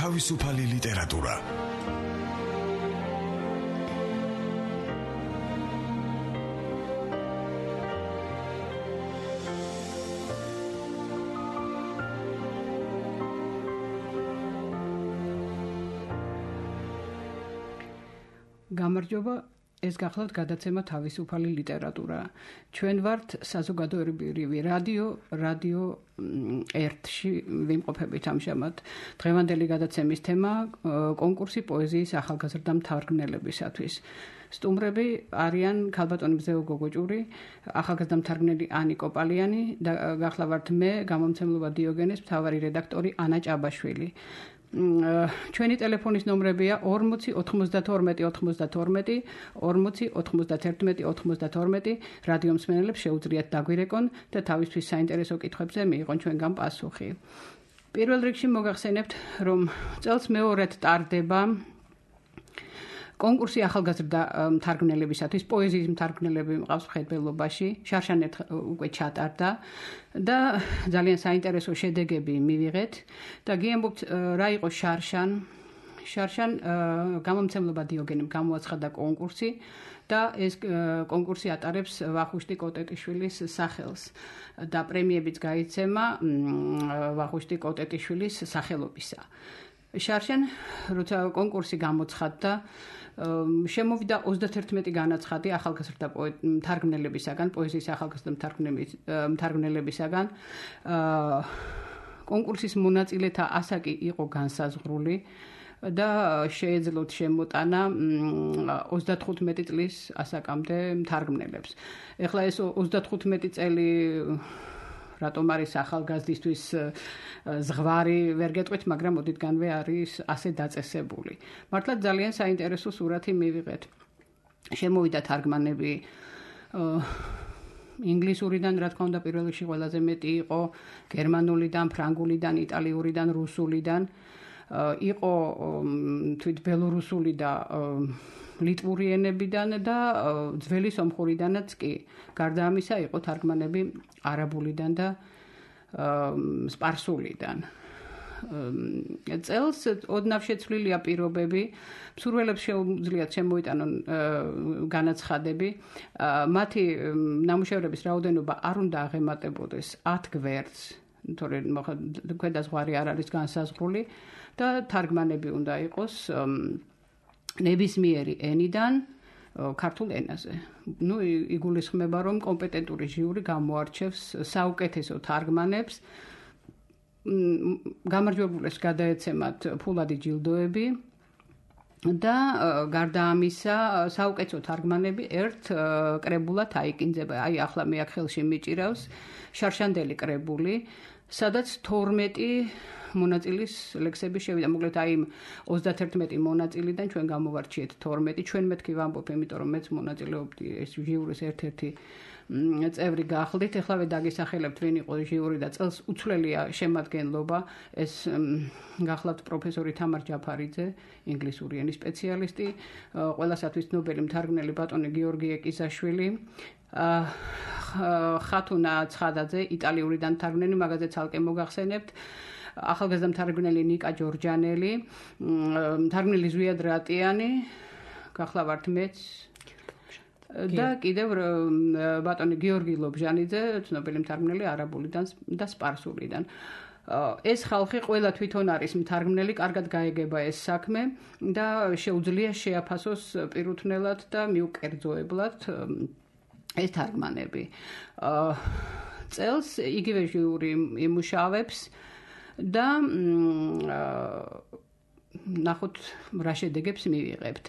თავისუფალი ლიტერატურა. გამარჯობა, ეს გახლავთ გადაცემა თავისუფალი ლიტერატურა. ჩვენ ვართ საზოგადოებრივი რადიო 1-ში ვიმყოფებით ამჟამად. დღევანდელი გადაცემის თემა კონკურსი პოეზიის ახალგაზრდა მთარგმნელებისათვის. სტუმრები არიან ქალბატონი მზეო გოგოჭური, ახალგაზრდა მთარგმნელი ანი კოპალიანი და გახლავართ მე, გამომცემლობა დიოგენეს მთავარი რედაქტორი ანა ჭაბაშვილი. ჩვენი ტელეფონის ნომრებია 40 92 92 40 91 92 რადიო მსმენელებს შეუძლიათ დაგვირეკონ და თავისთვის საინტერესო კითხვებზე მიიღონ ჩვენგან პასუხი. პირველ რიგში მოგახსენებთ, რომ წელს მეორედ ტარდება კონკურსი ახალგაზრდა მთარგმნელებისათვის, პოეზიის მთარგმნელები მყავს მხედველობაში, შარშან უკვე ჩატარდა და ძალიან საინტერესო შედეგები მივიღეთ და გიამბობთ რა იყო შარშან. შარშან გამომცემლობა დიოგენემ გამოაცხადა კონკურსი და ეს კონკურსი ატარებს ვახუშტი კოტეტიშვილის სახელს და პრემიებიც გაიცემა ვახუშტი კოტეტიშვილის სახელობისა. შარშან, როცა კონკურსი გამოცხადდა, შემოვიდა 31 განაცხადი ახალგაზრდა მთარგმნელებისაგან, პოეზიის ახალგაზრდა მთარგმნელებისაგან. კონკურსის მონაწილეთა ასაკი იყო განსაზღვრული და შეეძლოთ შემოტანა 35 წლის ასაკამდე მთარგმნელებს. ეხლა ეს 35 წელი რატომ არის ახალგაზრდისთვის ზღვარი ვერ გეტყვით, მაგრამ ოდითგანვე არის ასე დაწესებული. მართლაც ძალიან საინტერესო სურათი მივიღეთ. შემოვიდა თარგმანები ინგლისურიდან, რა თქმა უნდა, პირველ რიგში ყველაზე მეტი იყო გერმანულიდან, ფრანგულიდან, იტალიურიდან, რუსულიდან. იყო თვით ბელორუსული და ლიტვური ენებიდან და ძველი სომხურიდანაც კი. გარდა ამისა იყო თარგმანები არაბულიდან და სპარსულიდან. წელს ოდნავ შეცვლილია პირობები, მსურველებს შეუძლიათ შემოიტანონ განაცხადები. მათი ნამუშევრების რაოდენობა არ უნდა აღემატებოდეს 10 გვერდს, თორემ ქვედა ზღვარი არ არის განსაზღვრული და თარგმანები უნდა იყოს ნებისმიერი ენიდან ქართულ ენაზე. იგულისხმება, რომ კომპეტენტური ჟიური გამოარჩევს საუკეთესო თარგმანებს. გამარჯვებულებს გადაეცემათ ფულადი ჯილდოები და გარდა ამისა საუკეთესო თარგმანები ერთ კრებულად აიკინძება. აი ახლა მე აქ ხელში მიჭირავს შარშანდელი კრებული, სადაც 12 მონაწილის ლექსები შევიდა. მოკლედ აი 31 მონაწილიდან ჩვენ გამოვარჩიეთ 12. ჩვენ მეთქი ვამბობ, იმიტომ რომ მეც მონაწილეობდი ეს ჟიურის ერთ-ერთი წევრი გახლდით. ეხლავე დაგისახელებთ ვინ იყო ჟიური და წელს უცვლელია შემადგენლობა. ეს გახლავთ პროფესორი თამარ ჯაფარიძე, ინგლისური ენის სპეციალისტი, ყველასათვის ნობელი მთარგმნელი ბატონი გიორგი ეკიზაშვილი, ხათუნა ცხადაძე, იტალიურიდან მთარგმნელი, მაგაზე ცალკე მოგახსენებთ. ახალგაზრდა მთარგმნელი ნიკა ჯორჯანელი, მთარგმნელი ზვიად რატიანი, გახლავართ მეც და კიდევ ბატონი გიორგი ლობჟანიძე, ცნობილი მთარგმნელი არაბულიდან და სპარსულიდან. ეს ხალხი ყველა თვითონ არის მთარგმნელი, კარგად გაეგება ეს საქმე და შეუძლია შეაფასოს პირუთვნელად და მიუკერძოებლად ეს თარგმანები. წელს იგივე ჟიური იმუშავებს და ნახოთ რა შედეგებს მივიღებთ.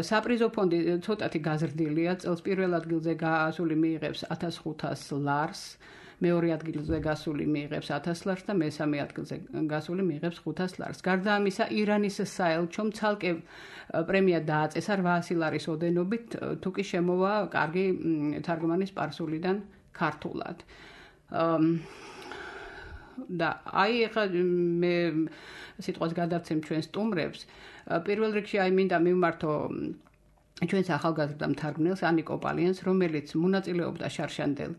საპრიზო ფონდი ცოტათი გაზრდილია. წელს პირველ ადგილზე გასული მიიღებს 1500 ლარს, მეორე ადგილზე გასული მიიღებს 1000 ლარს და მესამე ადგილზე გასული მიიღებს 500 ლარს. გარდა ამისა, ირანის საელჩომ ცალკე პრემია დააწესა 800 ლარის ოდენობით, თუ კი შემოვა კარგი თარგმანი სპარსულიდან ქართულად. და აი ახლა მე სიტყვას გადავცემ ჩვენ სტუმრებს. პირველ რიგში აი მინდა მივმართო ჩვენს ახალგაზრდა მთარგმნელს ანი კოპალიანს, რომელიც მონაწილეობდა შარშანდელ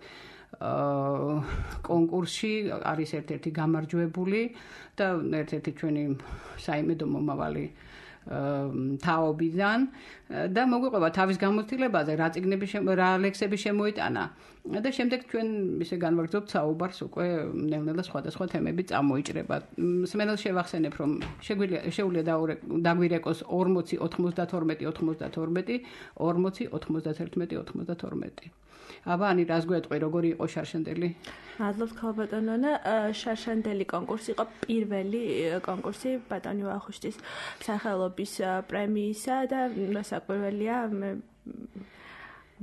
კონკურსში არის ერთ-ერთი გამარჯვებული და ერთ-ერთი ჩვენი საიმედო მომავალი თაობიდან და მოგვიყვება თავის გამოცდილებაზე რა ლექსები შემოიტანა და შემდეგ ჩვენ ისე განვაგრძობთ საუბარს უკვე ნელ-ნელა სხვადასხვა თემები წამოიჭრება. მსმენელს შევახსენებ, რომ შეგვიძლია დაგვირეკოს 40 92 92 40 91 92. აბა, ani რას გვეტყვი, როგორი იყო შარშანდელი? მადლობთ ქალბატონონა, შარშანდელი კონკურსი იყო პირველი კონკურსი ბატონი ვახუშტის სახელობის პრემიისა და საკურველია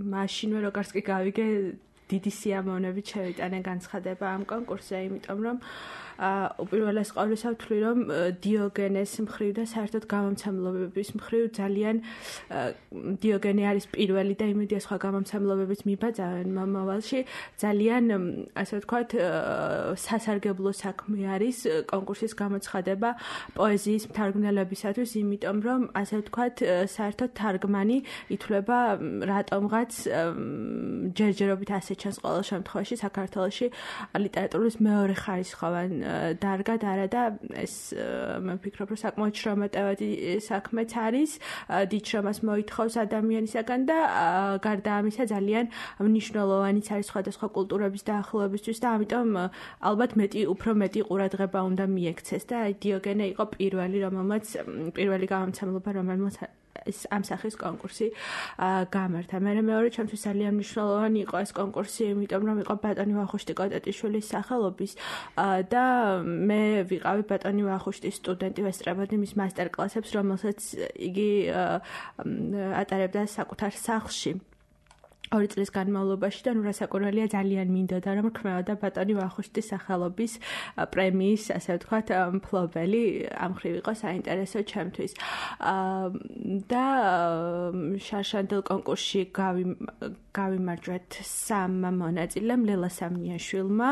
მაშინვე როგორც კი გავიგე დიდი სიამოვნებით შევიტანე განცხადება ამ კონკურსზე, იმიტომ რომ უპირველეს ყოვლისა ვთვლი, რომ დიოგენეს მხრივ და საერთოდ გამომცემლობების მხრივ ძალიან დიოგენე არის პირველი და იმედია სხვა გამომცემლობებიც მიბაძავენ მომავალში. ძალიან, ასე ვთქვათ, სასარგებლო საქმე არის კონკურსის გამოცხადება პოეზიის მთარგმნელებისათვის, იმიტომ რომ, ასე ვთქვათ, საერთოდ თარგმანი ითვლება რატომღაც ჯერჯერობით ასე ჩანს ყოველ შემთხვევაში საქართველოში ლიტერატურის მეორე ხარისხოვან დარგად არა და ეს მე ვფიქრობ, რომ საკმაოდ შრომატევადი საქმეც არის, დიდ შრომას მოითხოვს ადამიანისაგან და გარდა ამისა ძალიან მნიშვნელოვანიც არის სხვადასხვა კულტურების დაახლოებისთვის და ამიტომ ალბათ უფრო მეტი ყურადღება უნდა მიექცეს და დიოგენე იყო პირველი გამომცემლობა, რომელმაც ამ სახის კონკურსი გამართა. მეორე ჩემთვის ძალიან მნიშვნელოვანი იყო ეს კონკურსი, იმიტომ რომ იყო ბატონი ვახუშტი კოტეტიშვილის სახელობის და მე ვიყავი ბატონი ვახუშტის სტუდენტი, ვესწრებოდი მის მასტერკლასებს, რომელსაც იგი ატარებდა საკუთარ სახლში. 2 წლის განმავლობაში და რასაკურველია ძალიან მინდოდა რომ ქმნოდა ბატონი ვახუშტის სახელობის პრემიის, ასე ვთქვათ, მფლობელი, ამ მხრივ იყო საინტერესო ჩემთვის. და შარშანდელ კონკურსში გავიმარჯვეთ 3 მონაწილემ, ლელა სამნიაშვილმა,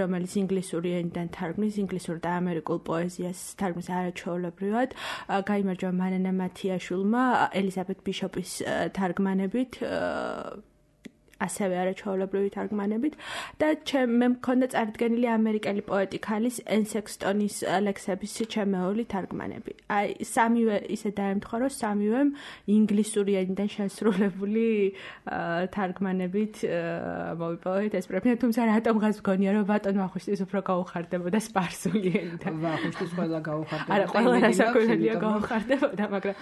რომელიც ინგლისური ენიდან თარგმნის, ინგლისურ და ამერიკულ პოეზიას თარგმნის არაჩვეულებრივად, გაიმარჯვა მანანა მათიაშვილმა, ელიზაბეთ ბიშოპის თარგმანებით, ასევე არაჩვეულებრივი თარგმანებით და მე მქონდა წარდგენილი ამერიკელი პოეტი ქალის ენ სექსტონის ლექსების ჩემეული თარგმანები. აი, სამივე ისე დაემთხვა, რომ სამივემ ინგლისური ენიდან შესრულებული თარგმანებით მოვიპოვეთ ეს პრემია, თუმცა რატომღაც მგონია, რომ ბატონ ვახუშტის უფრო გაუხარდებოდა სპარსული ენიდან. ვახუშტის ყველა გაუხარდებოდა. არა, ყველა რასაკვირველია გაუხარდებოდა, მაგრამ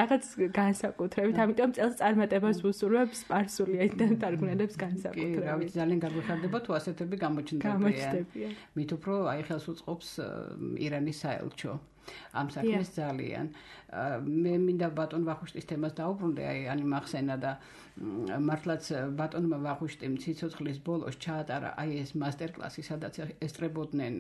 რაღაც განსაკუთრებით, ამიტომ წელს წარმატებას ვუსურვებ სპარსული ენიდან თარგმნელებს განსაკუთრებით. რა ვიცი, ძალიან გაგვიხარდება თუ ასეთები გამოჩნდებიან. მით უფრო აი ხელს უწყობს ირანის საელჩო. ამ საქმეს ძალიან. მე მინდა ბატონ ვახუშტის თემას დაუბრუნდე, აი მახსენა და მართლაც ბატონმა ვახუშტიმ ციცოცხლის ბოლოს ჩაატარა აი ეს მასტერკლასი, სადაც ესწრებოდნენ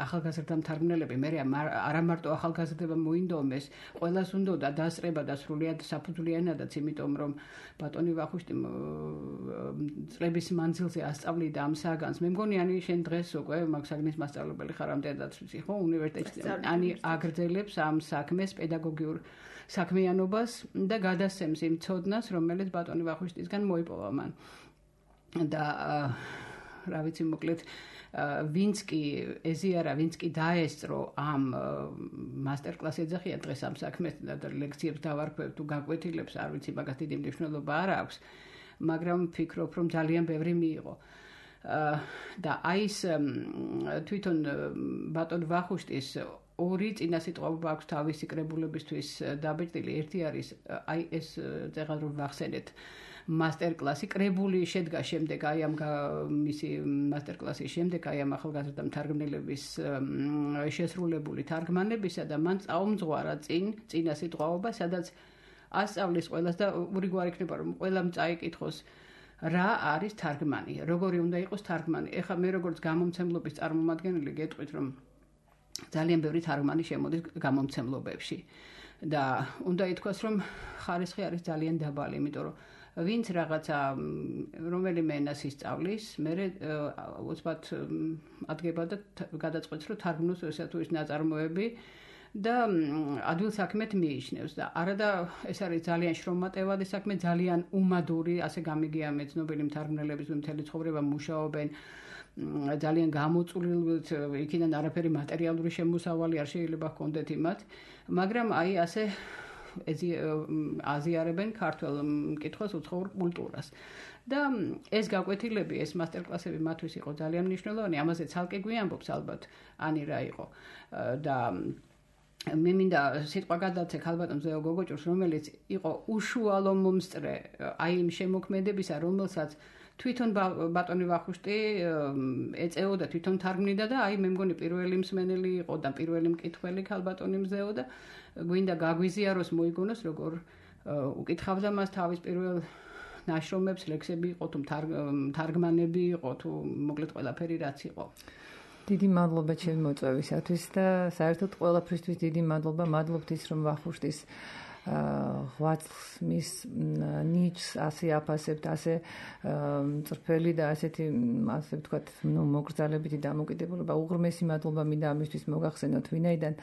ახალგაზრდა მთარგმნელები, მე არა მარტო ახალგაზრდება მოინდომეს, ყველას უნდოდა დასწრება და სრულიად საფუძვლიანადაც, იმიტომ რომ ბატონი ვახუშტიმ წლების მანძილზე ასწავლიდა ამ საგანს. მე მგონი შენ დღეს უკვე მაგ საგნის მასწავლებელი ხარ ამდენადაც ვიცი, ხო, უნივერსიტეტში აგრძელებს ამ საქმეს პედაგოგიურ საქმიანობას და გადასცემს იმ ცოდნას, რომელიც ბატონი ვახუშტისგან მოიპოვა მან. და რა ვიცი, მოკლედ ვინც კი ეზიარა, ვინც კი დაესწრო ამ მასტერკლასს ეძახია დღეს ამ საქმეს და ლექციებს დავარქვევ თუ გაკვეთილებს, არ ვიცი, მაგას დიდი მნიშვნელობა არ აქვს, მაგრამ ვფიქრობ, რომ ძალიან ბევრი მიიღო. და აი ეს თვითონ ბატონ ვახუშტის 2 წინასიტყვობა აქვს თავისი კრებულებისთვის დაბეჭდილი. ერთი არის აი ეს წეგან რომ ვახსენეთ მასტერკლასი, კრებული შედგა შემდეგ აი ამ მისი მასტერკლასის შემდეგ აი ამ ახალგაზრდა მთარგმნელების შესრულებული თარგმანებისა და მან წაუმძღვარა წინასიტყვობა, სადაც ასწავლის ყველას და ურიგვარი იქნება რომ ყველამ წაიკითხოს რა არის თარგმანი, როგორი უნდა იყოს თარგმანი. ეხლა მე როგორც გამომცემლობის წარმომადგენელი გეტყვით, რომ ძალიან ბევრი თარგმანი შემოდის გამომცემლობებში და უნდა ითქვას, რომ ხარისხი არის ძალიან დაბალი, იმიტომ რომ ვინც რაღაცა რომელიმე ენას ისწავლის, მე უცბად ადგება და გადაწყვეტს, რომ თარგმნოს ესა თუ ის ნაწარმოები და ადვილ საქმეთ მიიჩნევს და არადა ეს არის ძალიან შრომატევადი საქმე, ძალიან უმადური, ასე გამიგია მეცნობელი მთარგმნელების მთელი ცხოვრება მუშაობენ ძალიან გამოწვლილ იქიდან არაფერი მატერიალური შემოსავალი არ შეიძლება ჰქონდეთ იმათ, მაგრამ აი ასე აზიარებენ ქართულ მკითხველს უცხოურ კულტურას. და ეს გაკვეთილები, ეს მასტერკლასები მათთვის იყო ძალიან მნიშვნელოვანი, ამაზე ცალკე გვიამბობს ალბათ ანი რა იყო. და მე მინდა სიტყვა გადავცე ქალბატონ ზეო გოგოჭურს, რომელიც იყო უშუალო მომსწრე აი იმ შემოქმედებისა, რომელსაც თვითონ ბატონი ვახუშტი ეწეოდა, თვითონ თარგმნიდა და აი მე მგონი პირველი მსმენელი იყო და პირველი მკითხველი ქალბატონი მზეო და გვინდა გაგვიზიაროს, მოიგონოს, როგორ უკითხავდა მას თავის პირველ ნაშრომებს, ლექსები იყო თუ თარგმანები იყო თუ მოკლედ ყველაფერი რაც იყო. დიდი მადლობა ჩემი მოწვევისათვის და საერთოდ ყველაფრისთვის დიდი მადლობა. მადლობთ ის რომ ვახუშტის ღვაწლს მის ნიჭს ასე აფასებთ, ასე მწრფელი და ასეთი ასე ვთქვათ, მოგრძალებითი დამოკიდებულება. უღრმესი მადლობა მინდა ამისთვის მოგახსენოთ, ვინაიდან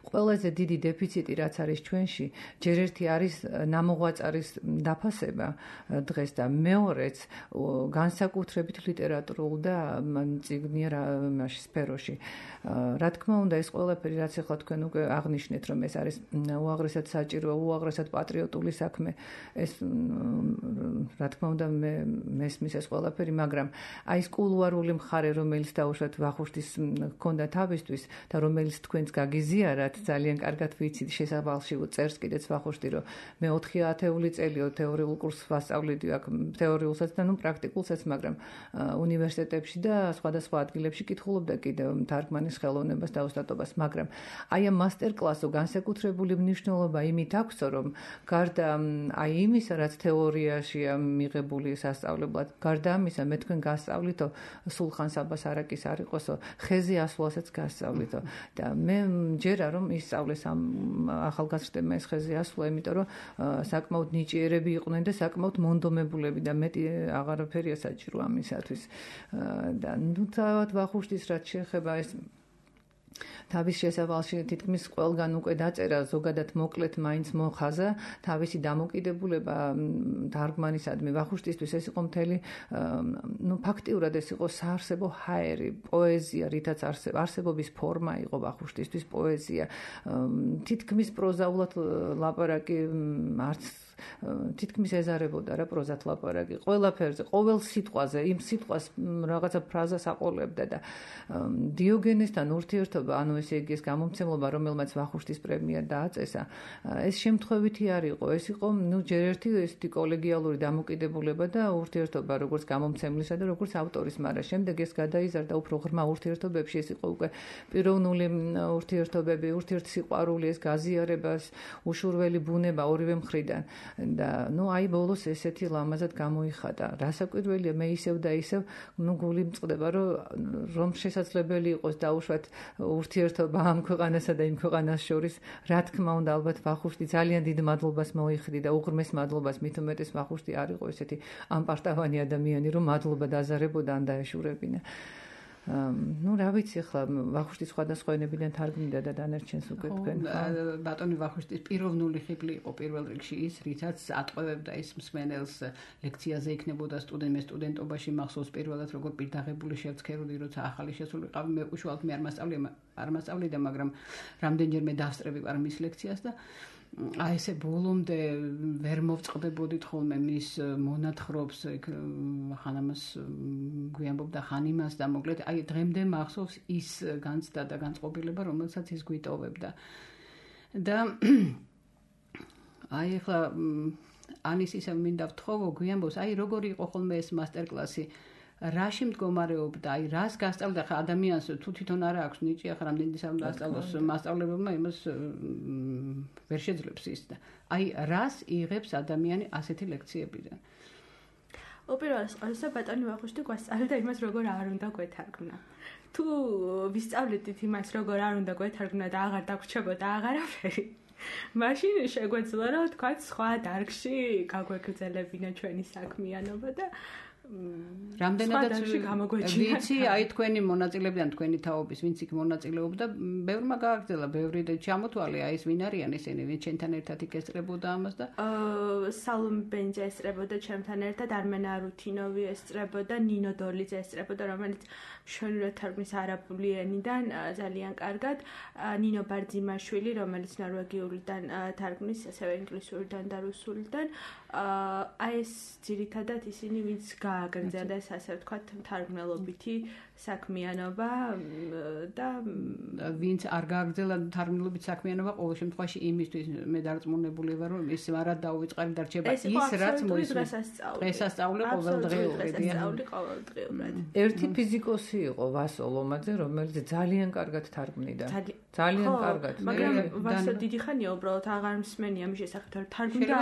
ყველაზე დიდი დეფიციტი რაც არის ჩვენში, ჯერ ერთი არის ნამოღვაწარის დაფასება დღეს და მეორეც განსაკუთრებით ლიტერატურულ და წიგნიერ სფეროში. რა თქმა უნდა, ეს ყველაფერი რაც ახლა თქვენ უკვე აღნიშნეთ, რომ ეს არის უაღრესად საჭირო, უაღრესად პატრიოტული საქმე, ეს რა თქმა უნდა მესმის ეს ყველაფერი, მაგრამ აი ეს კულუარული მხარე, რომელიც დაუშვათ ვახუშტის ჰქონდა თავისთვის და რომელიც თქვენს გაგიზიარათ, ძალიან კარგად ვიცით, შესავალში წერს კიდეც ვახუშტი, რომ მე 4 ათეული წელიო თეორიულ კურსს ვასწავლიდი აქ, თეორიულსაც და პრაქტიკულსაც, მაგრამ უნივერსიტეტებში და სხვადასხვა ადგილებში კითხულობდა კიდევ თარგმანის ხელოვნებას და ოსტატობას, მაგრამ აი ამ მასტერკლასო განსაკუთრებული მნიშვნელობა იმით აქვს, რომ გარდა აი იმისა, რაც თეორიაშია მიღებული სასწავლებლად, გარდა ამისა, მე თქვენ გასწავლითო სულხან საბას არაკის არ იყოსო, ხეზე ასვლასაც გასწავლითო და მე მჯერა რომ ისწავლეს ამ ახალგაზრდებმა ეს ხეზე ასვლა, იმიტომ რომ საკმაოდ ნიჭიერები იყვნენ და საკმაოდ მონდომებულები და მეტი აღარაფერია საჭირო ამისათვის. და ნუ თავად ვახუშტის რაც შეეხება ეს თავის შესავალში თითქმის ყველგან უკვე დაწერა, ზოგადად მოკლედ მაინც მოხაზა თავისი დამოკიდებულება თარგმანისადმი. ვახუშტისთვის ეს იყო მთელი, ფაქტიურად ეს იყო საარსებო ჰაერი, პოეზია, რითაც არსებობის ფორმა იყო ვახუშტისთვის პოეზია. თითქმის პროზაულად ლაპარაკი არც თითქმის ეზარებოდა რა პროზათ ლაპარაკი, ყველაფერზე, ყოველ სიტყვაზე, იმ სიტყვას რაღაცა ფრაზას აყოლებდა და დიოგენესთან ურთიერთობა, ანუ ესე იგი ეს გამომცემლობა, რომელმაც ვახუშტის პრემია დააწესა, ეს შემთხვევითი არ იყო, ეს იყო ჯერ ერთი ესეთი კოლეგიალური დამოკიდებულება და ურთიერთობა როგორც გამომცემლისა და როგორც ავტორის, მაგრამ შემდეგ ეს გადაიზარდა უფრო ღრმა ურთიერთობებში, ეს იყო უკვე პიროვნული ურთიერთობები, ურთიერთსიყვარული, ეს გაზიარებას, უშურველი ბუნება ორივე მხრიდან. და აი ბოლოს ესეთი ლამაზად გამოიხატა. რასაკვირველია, მე ისევ და ისევ გული მწყდება, რომ შესაძლებელი იყოს დაუშვათ ურთიერთობა ამ ქვეყანასა და იმ ქვეყანას შორის. რა თქმა უნდა, ალბათ ვახუშტი ძალიან დიდ მადლობას მოიხდი და უღრმეს მადლობას, მით უმეტეს ვახუშტი არ იყო ესეთი ამპარტავანი ადამიანი, რომ მადლობა დაზარებოდა ან დაეშურებინა. რა ვიცი ახლა ვახუშტის სხვადასხვა ენებიდან თარგმნიდა და დანარჩენს უკვე თქვენ. ბატონი ვახუშტის პიროვნული ხიბლი იყო პირველ რიგში ის, რითაც ატყვევებდა ის მსმენელს ლექციაზე იქნებოდა სტუდენტობაში მახსოვს პირველად როგორ პირდაღებული შევცქეროდი, როცა ახალი შესული ვიყავი, მე უშუალოდ მე არ მასწავლიდა, მაგრამ რამდენჯერმე დავსწრები ვარ მის ლექციას და აი ესე ბოლომდე ვერ მოვწყდებოდით ხოლმე მის მონათხრობს, ხანამას გვიამბობდა ხან იმას და მოკლედ აი დღემდე მახსოვს ის განცდა და განწყობილება, რომელსაც ის გვიტოვებდა. და აი ახლა ანის ისევ მინდა ვთხოვო, გვიამბობს, აი როგორი იყო ხოლმე ეს მასტერკლასი, რაში მდგომარეობდა, აი რას გასწავლდა ხა ადამიანს თუ თვითონ არა აქვს ნიჭი, ახლა რამდენი დასწავლოს მასწავლებელმა, იმას ვერ შეძლებს ის და აი რას იღებს ადამიანი ასეთი ლექციებიდან. უპირველეს ყოვლისა ბატონი ვახუშტი გვასწავლიდა იმას, როგორ არ უნდა გვეთარგმნა. თუ ვისწავლიდით იმას, როგორ არ უნდა გვეთარგმნა და აღარ დაგვრჩებოდა აღარაფერი, მაშინ შეგვეძლო, რომ თქვათ სხვა დარგში გაგვეგრძელებინა ჩვენი საქმიანობა და რამდენადაც ვიცი, აი თქვენი მონაწილებიდან თქვენი თაობის ვინც იქ მონაწილეობდა, ბევრმა გააგრძელა, ბევრი ჩამოთვალე, აი ეს ვინ არიან ისინი, ვინც ჩვენთან ერთად იქ ესწრებოდა ამას და სალომე ბენჯა ესწრებოდა ჩემთან ერთად, არმენ არუთინოვი ესწრებოდა, ნინო დოლიძე ესწრებოდა, რომელიც მშვენივრად თარგმნის არაბული ენიდან ძალიან კარგად, ნინო ბარძიმაშვილი, რომელიც ნორვეგიულიდან თარგმნის, ასევე ინგლისურიდან და რუსულიდან. აი ეს ძირითადად ისინი ვინც გააგრძელეს ასე ვთქვათ თარგმნელობითი საქმიანობა და ვინც არ გააგრძელა თარგმნელობით საქმიანობა ყოველ შემთხვევაში იმისთვის მე დარწმუნებული ვარ რომ ის არ დაუვიწყარი დარჩება ის რაც დღესასწაული ყოველდღიურად ერთი ფიზიკოსი იყო ვასო ლომაძე რომელიც ძალიან კარგად თარგმნიდა ძალიან კარგად მაგრამ ვასო დიდი ხანია უბრალოდ აღარ მსმენია მის შესახებ თარგმნიდა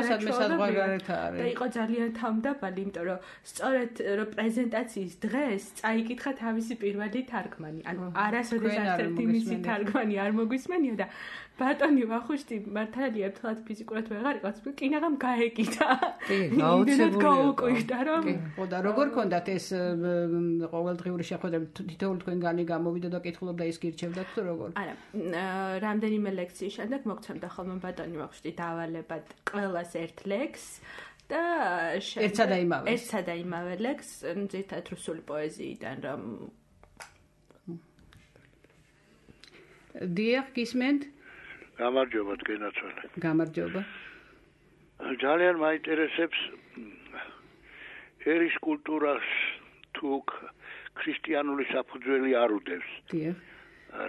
და იყო ძალიან თავმდაბალი იმიტომ რომ სწორედ რომ პრეზენტაციის დღეს წაიკითხა თავისი პირველი თარგმანი. ანუ არასოდეს არცერთი მისი თარგმანი არ მოგვისმენია და ბატონი ვახუშტი მართალია თლად ფიზიკურად ვეღარ იყო, კინაღამ გაეკიდა. კი, გაუკვირდა რომ ხო და როგორ ქონდათ ეს ყოველდღიური შეხვედრები თითოეული თქვენგანი გამოვიდა და კითხულობდა ის გირჩევდათ თუ როგორ? არა, რამდენიმე ლექციის შემდეგ მოგცემდა ხოლმე ბატონი ვახუშტი დავალებად ყველას ერთ ლექსს და ერთსა და იმავე ლექს ძირითადად რუსული პოეზიიდან რომ დიახ გისმენთ გამარჯობა თქვენაცვალე გამარჯობა ძალიან მაინტერესებს ერის კულტურას თუ ქრისტიანული საფუძველი არ უდევს დიახ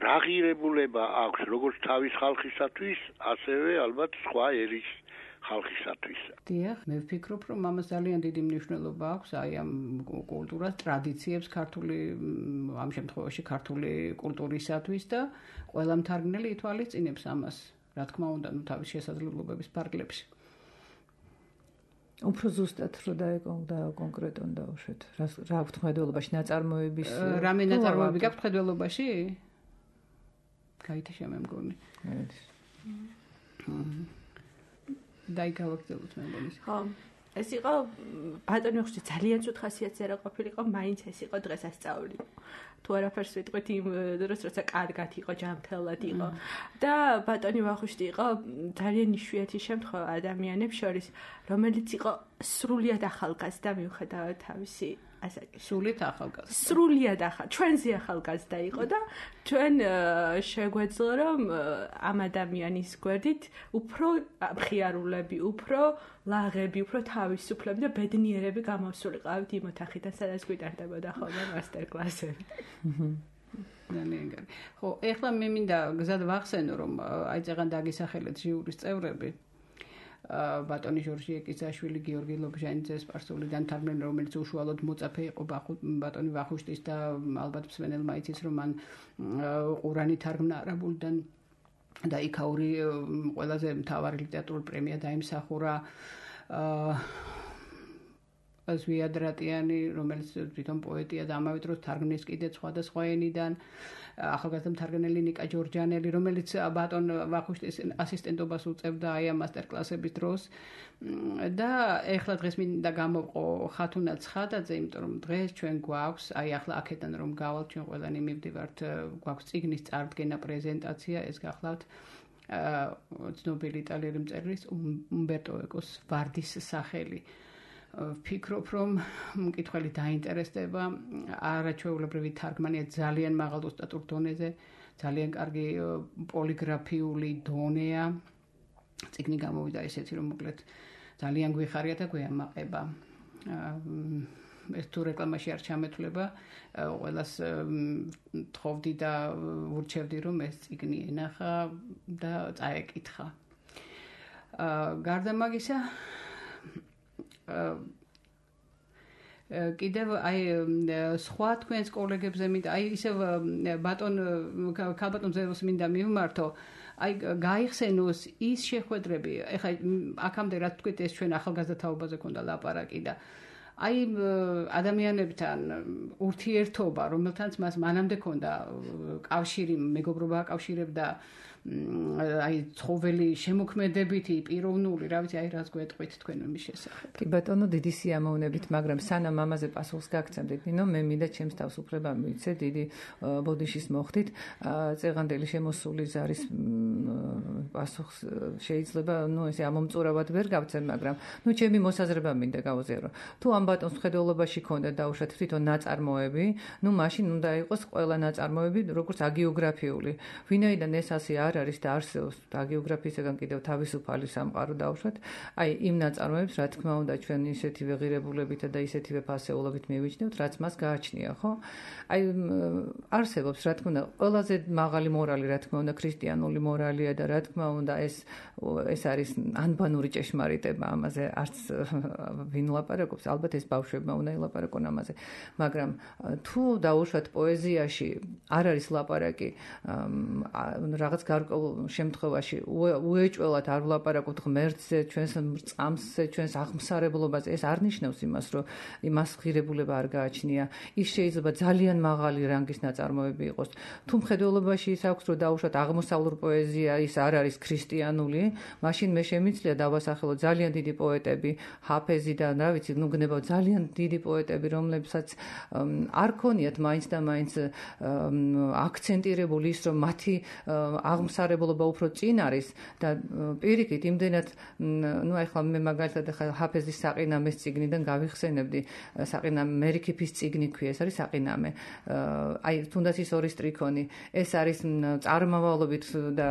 რა ღირებულება აქვს როგორც თავის ხალხისათვის ასევე ალბათ სხვა ერის ხალხისათვის. დიახ, მე ვფიქრობ, რომ ამას ძალიან დიდი მნიშვნელობა აქვს აი ამ კულტურას, ტრადიციებს ქართული ამ შემთხვევაში ქართული კულტურისათვის და ყველა მთარგმნელი ითვალისწინებს ამას, რა თქმა უნდა, ნუ თავის შესაძლებლობების ფარგლებში. უფრო ზუსტად რო და კონკრეტონ დავუშვეთ. რა აქვთ ხედველობაში ნაწარმოების რამე ნაწარმოები გაქვთ ხედველობაში? გაითიშა მე მგონი. დაიგავაგდელოთ მე მგონი. ხო, ეს იყო ბატონი ვახუშტი ძალიან ცუდ ხასიათზე რა ყოფილიყო, მაინც ეს იყო დღესასწაული. თუ არაფერს ვიტყვით იმ დროს, როცა კარგად იყო, ჯანმრთელად იყო. და ბატონი ვახუშტი იყო ძალიან იშვიათი შემთხვევა ადამიანებს შორის, რომელიც იყო სრულიად ახალგაზრდა მიუხედავად თავისი სრულიად ახალგაზრდა. სრულიად ჩვენზე ახალგაზრდა იყო და ჩვენ შეგვეძლო რომ ამ ადამიანის გვერდით უფრო მხიარულები, უფრო ლაღები, უფრო თავისუფლები და ბედნიერები გამოსულიყავით იმ ოთახიდან, სადაც გვიტარდებოდა ხოლმე მასტერკლასები. ძალიან კარგი. ხო, ეხლა მე მინდა გზად ვახსენო რომ აი წეგან დაგისახელეთ ჟიურის წევრები. ბატონი ჟორჟი ეკისაშვილი, გიორგი ლობჟანიძე სპარსულიდან თარგმნელი, რომელიც უშუალოდ მოწაფე იყო ბატონი ვახუშტის და ალბათ მსმენელმა იცის რომ მან ყურანი თარგმნა არაბულიდან და იქაური ყველაზე მთავარი ლიტერატურული პრემია დაიმსახურა ზვიადრატიანი, რომელიც თვითონ პოეტია და ამავე დროს თარგმნის კიდე სხვადასხვა ენიდან, ახალგაზრდა მთარგმნელი ნიკა ჯორჯანელი, რომელიც ბატონ ვახუშტის ასისტენტობას უწევდა აი ამ მასტერკლასების დროს და ეხლა დღეს მინდა გამოვყო ხათუნა ცხადაძე, იმიტომ რომ დღეს ჩვენ გვაქვს, აი ახლა აქედან რომ გავალთ ჩვენ ყველანი მივდივართ, გვაქვს წიგნის წარდგენა პრეზენტაცია, ეს გახლავთ ცნობილი იტალიელი მწერლის უმბერტო ეკოს ვარდის სახელი. ვფიქრობ, რომ მკითხველი დაინტერესდება, არაჩვეულებრივი თარგმანია ძალიან მაღალ ოსტატურ დონეზე, ძალიან კარგი პოლიგრაფიული დონეა. წიგნი გამოვიდა ესეთი, რომ მოკლედ ძალიან გვიხარია და გვეამაყება. ეს თუ რეკლამაში არ ჩამეთვლება, ყველას თხოვდი და ურჩევდი, რომ ეს წიგნი ენახა და წაეკითხა. გარდა მაგისა კიდევ აი სხვა თქვენს კოლეგებზე მინდა აი ისევ ქალბატონ ზევოს მინდა მივმართო აი გაიხსენოს ის შეხვედრები ეხლა აქამდე რა თქვით ეს ჩვენ ახალგაზრდა თაობაზე ქონდა ლაპარაკი და აი ადამიანებთან ურთიერთობა რომელთანაც მას მანამდე ქონდა კავშირი მეგობრობა აკავშირებდა აი ცხოველი შემოქმედებითი პიროვნული რა ვიცი აი რაც გვეტყვით თქვენ მის შესახებ. კი ბატონო დიდი სიამოვნებით, მაგრამ სანამ ამაზე პასუხს გაგცემდით, ნინო მე მინდა ჩემს თავს უფლება მივიცე დიდი ბოდიშის მოხდით წეღანდელი შემოსული ზარის პასუხს შეიძლება ესე ამომწურავად ვერ გავცემ, მაგრამ ჩემი მოსაზრება მინდა გავაზიარო. თუ ამ ბატონს მხედველობაში ქონდა დაუშვათ თვითონ ნაწარმოები, მაშინ უნდა იყოს ყველა ნაწარმოები როგორც აგეოგრაფიული. ვინაიდან ეს ასე არ არის და არსებობს აგეოგრაფიისგან კიდევ თავისუფალი სამყარო დაუშვათ, აი იმ ნაწარმოებს რა თქმა უნდა ჩვენ ისეთივე ღირებულებით და ისეთივე ფასეულობით მივიჩნევთ, რაც მას გააჩნია, ხო? აი არსებობს რა თქმა უნდა ყველაზე მაღალი მორალი, რა თქმა უნდა ქრისტიანული მორალია და რა თქმა უნდა ეს არის ანბანური ჭეშმარიტება, ამაზე არც ვინ ლაპარაკობს, ალბათ ეს ბავშვებმა უნდა ილაპარაკონ ამაზე, მაგრამ თუ დაუშვათ პოეზიაში არ არის ლაპარაკი რაღაც გარკვეულ შემთხვევაში უეჭველად არ ვლაპარაკობთ ღმერთზე, ჩვენს წამსზე, ჩვენს აღმსარებლობაზე, ეს არ ნიშნავს იმას, რომ იმას ღირებულება არ გააჩნია. ის შეიძლება ძალიან მაღალი რანგის ნაწარმოები იყოს. თუ მხედველობაში ის აქვს, რომ დაუშვათ აღმოსავლურ პოეზია ის არ არის ქრისტიანული, მაშინ მე შემიძლია დავასახელო ძალიან დიდი პოეტები, ჰაფეზი და რა ვიცი, გნება ძალიან დიდი პოეტები, რომლებსაც არ ქონიათ მაინც და მაინც აქცენტირებული ის, რომ მათი აღმსარებლობა უფრო წინ არის და პირიქით იმდენად ეხლა მე მაგალითად ჰაფეზის საყინამეს წიგნიდან გავიხსენებდი, საყინამე მერიქიფის წიგნი ქვია, ეს არის საყინამე. აი თუნდაც ის ორი სტრიქონი, ეს არის წარმავალობით და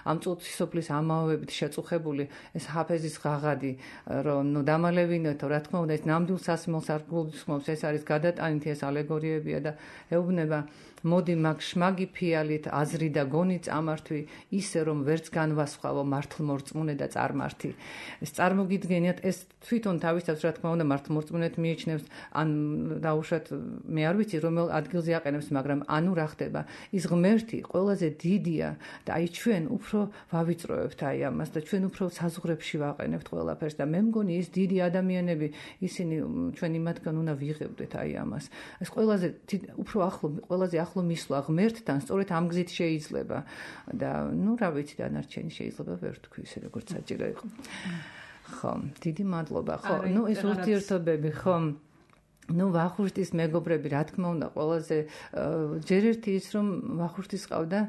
ამ წუთისოფლის ამაოებით შეწუხებული ეს ჰაფეზის ღაღადი, რომ დამალევინოთო, რა თქმა უნდა ეს ნამდვილ სასმელს არ გულისხმობს, ეს არის გადატანითი, ეს ალეგორიებია და ეუბნება მოდი მაგ შმაგი ფიალით აზრი და გონი წამართვი ისე რომ ვერც განვასხვავო მართლმორწმუნე და წარმართი. ეს წარმოგიდგენიათ ეს თვითონ თავისთავად რა თქმა უნდა მართლმორწმუნეთ მიიჩნევს ან დაუშვათ მე არ ვიცი რომელ ადგილზე აყენებს, მაგრამ ანუ რა ხდება? ის ღმერთი ყველაზე დიდია და აი ჩვენ უფრო ვავიწროებთ აი ამას და ჩვენ უფრო საზღვრებში ვაყენებთ ყველაფერს და მე მგონი ის დიდი ადამიანები ისინი ჩვენ იმათგან უნდა ვიღებდეთ აი ამას. ეს ყველაზე უფრო ყველაზე ახლო მისვლა ღმერთთან სწორედ ამ გზით შეიძლება და რა ვიცი დანარჩენი შეიძლება ვერ თქვი ისე როგორც საჭირო იყო. ხო, დიდი მადლობა. ხო, ეს ურთიერთობები, ხო. ვახუშტის მეგობრები, რა თქმა უნდა, ყველაზე ჯერ ერთი ის, რომ ვახუშტის ყავდა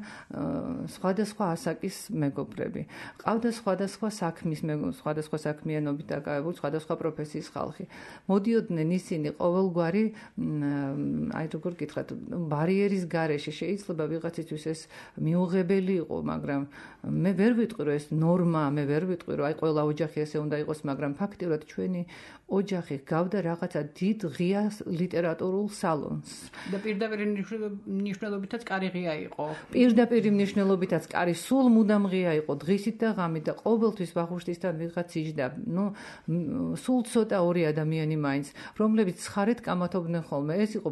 სხვადასხვა ასაკის მეგობრები. ყავდა სხვადასხვა საქმის სხვადასხვა საქმიანობით დაკავებული, სხვადასხვა პროფესიის ხალხი. მოდიოდნენ ისინი ყოველგვარი, აი როგორ გითხრათ, ბარიერის გარეშე. შეიძლება ვიღაცისთვის ეს მიუღებელი იყო, მაგრამ მე ვერ ვიტყვი, რომ ეს ნორმა, მე ვერ ვიტყვი, რომ აი ყველა ოჯახი ესე უნდა იყოს, მაგრამ ფაქტიურად ჩვენი ოჯახი გავდა რაღაცა დიდ ღია ლიტერატურულ სალონს. და პირდაპირ მნიშვნელობითაც კარი ღია იყო. პირდაპირ მნიშვნელობითაც კარი სულ მუდამ ღია იყო, დღისით და ღამით და ყოველთვის ვახუშტისთან ვიღაც იჯდა. სულ ცოტა ორი ადამიანი მაინც, რომლებიც ცხარეთ კამათობდნენ ხოლმე. ეს იყო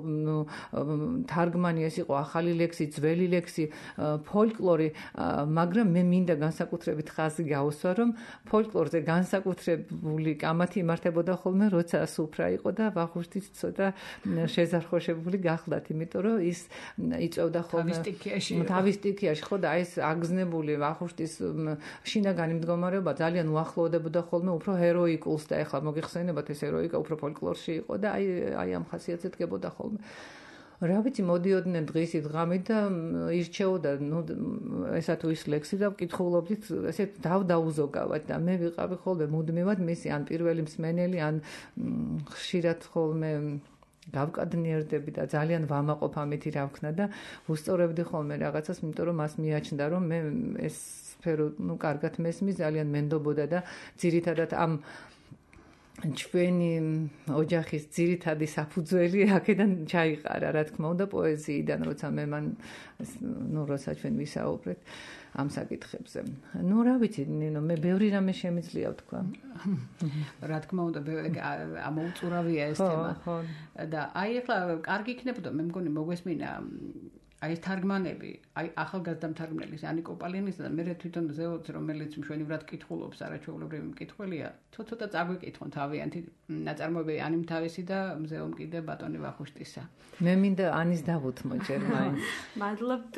თარგმანი, ეს იყო ახალი ლექსი, ძველი ლექსი, ფოლკლორი, მაგრამ მე მინდა განსაკუთრებით ხაზი გაუსვა, რომ ფოლკლორზე განსაკუთრებული კამათი იმართებოდა ხოლმე, როცა სუფრა იყო და ვახუშტიც ცოტა შეზარხოშებული გახლდათ, იმიტომ რომ ის იწევდა ხოლმე თავის სტიქიაში, ხო და ეს აგზნებული ვახუშტის შინაგანი მდგომარეობა ძალიან უახლოვდებოდა ხოლმე უფრო ჰეროიკულს და ეხლა მოგიხსენებათ ეს ჰეროიკა უფრო ფოლკლორში იყო და აი ამ ხასიათზე დგებოდა ხოლმე. რა ვიცი, მოდიოდნენ დღისით ღამით და ირჩეოდა ესა თუ ის ლექსი და ვკითხულობდით, ესე დავდაუზოგავად და მე ვიყავი ხოლმე მუდმივად მისი ან პირველი მსმენელი, ან ხშირად ხოლმე გავკადნიერდები და ძალიან ვამაყობ ამითი რა ვქნა და ვუსწორებდი ხოლმე რაღაცას, იმიტომ რომ მას მიაჩნდა რომ მე ეს სფერო კარგად მესმის, ძალიან მენდობოდა და ძირითადად ამ ჩვენი ოჯახის ძირითადი საფუძველი აქედან ჩაიყარა, რა თქმა უნდა, პოეზიიდან, როცა მე მან როცა ჩვენ ვისაუბრეთ ამ საკითხებზე. რა ვიცი, ნინო, მე ბევრი რამე შემიძლია ვთქვა. რა თქმა უნდა, ამოუწურავია ეს თემა. და აი ახლა კარგი იქნებოდა, მე მგონი მოგვესმინა აი თარგმანები, აი ახალგაზრდა მთარგმნელის ანიკო პალიანისა და მე თვითონ ზეოც, რომელიც მშვენივრად კითხულობს, არაჩვეულებრივი მკითხველია, ცოტა წაგვიკითხონ თავიანთი ნაწარმოები ანიმ თავისი და მზეომ კიდე ბატონი ვახუშტისა. მე მინდა ანის დავუთმო ჯერ მაინც. მადლობთ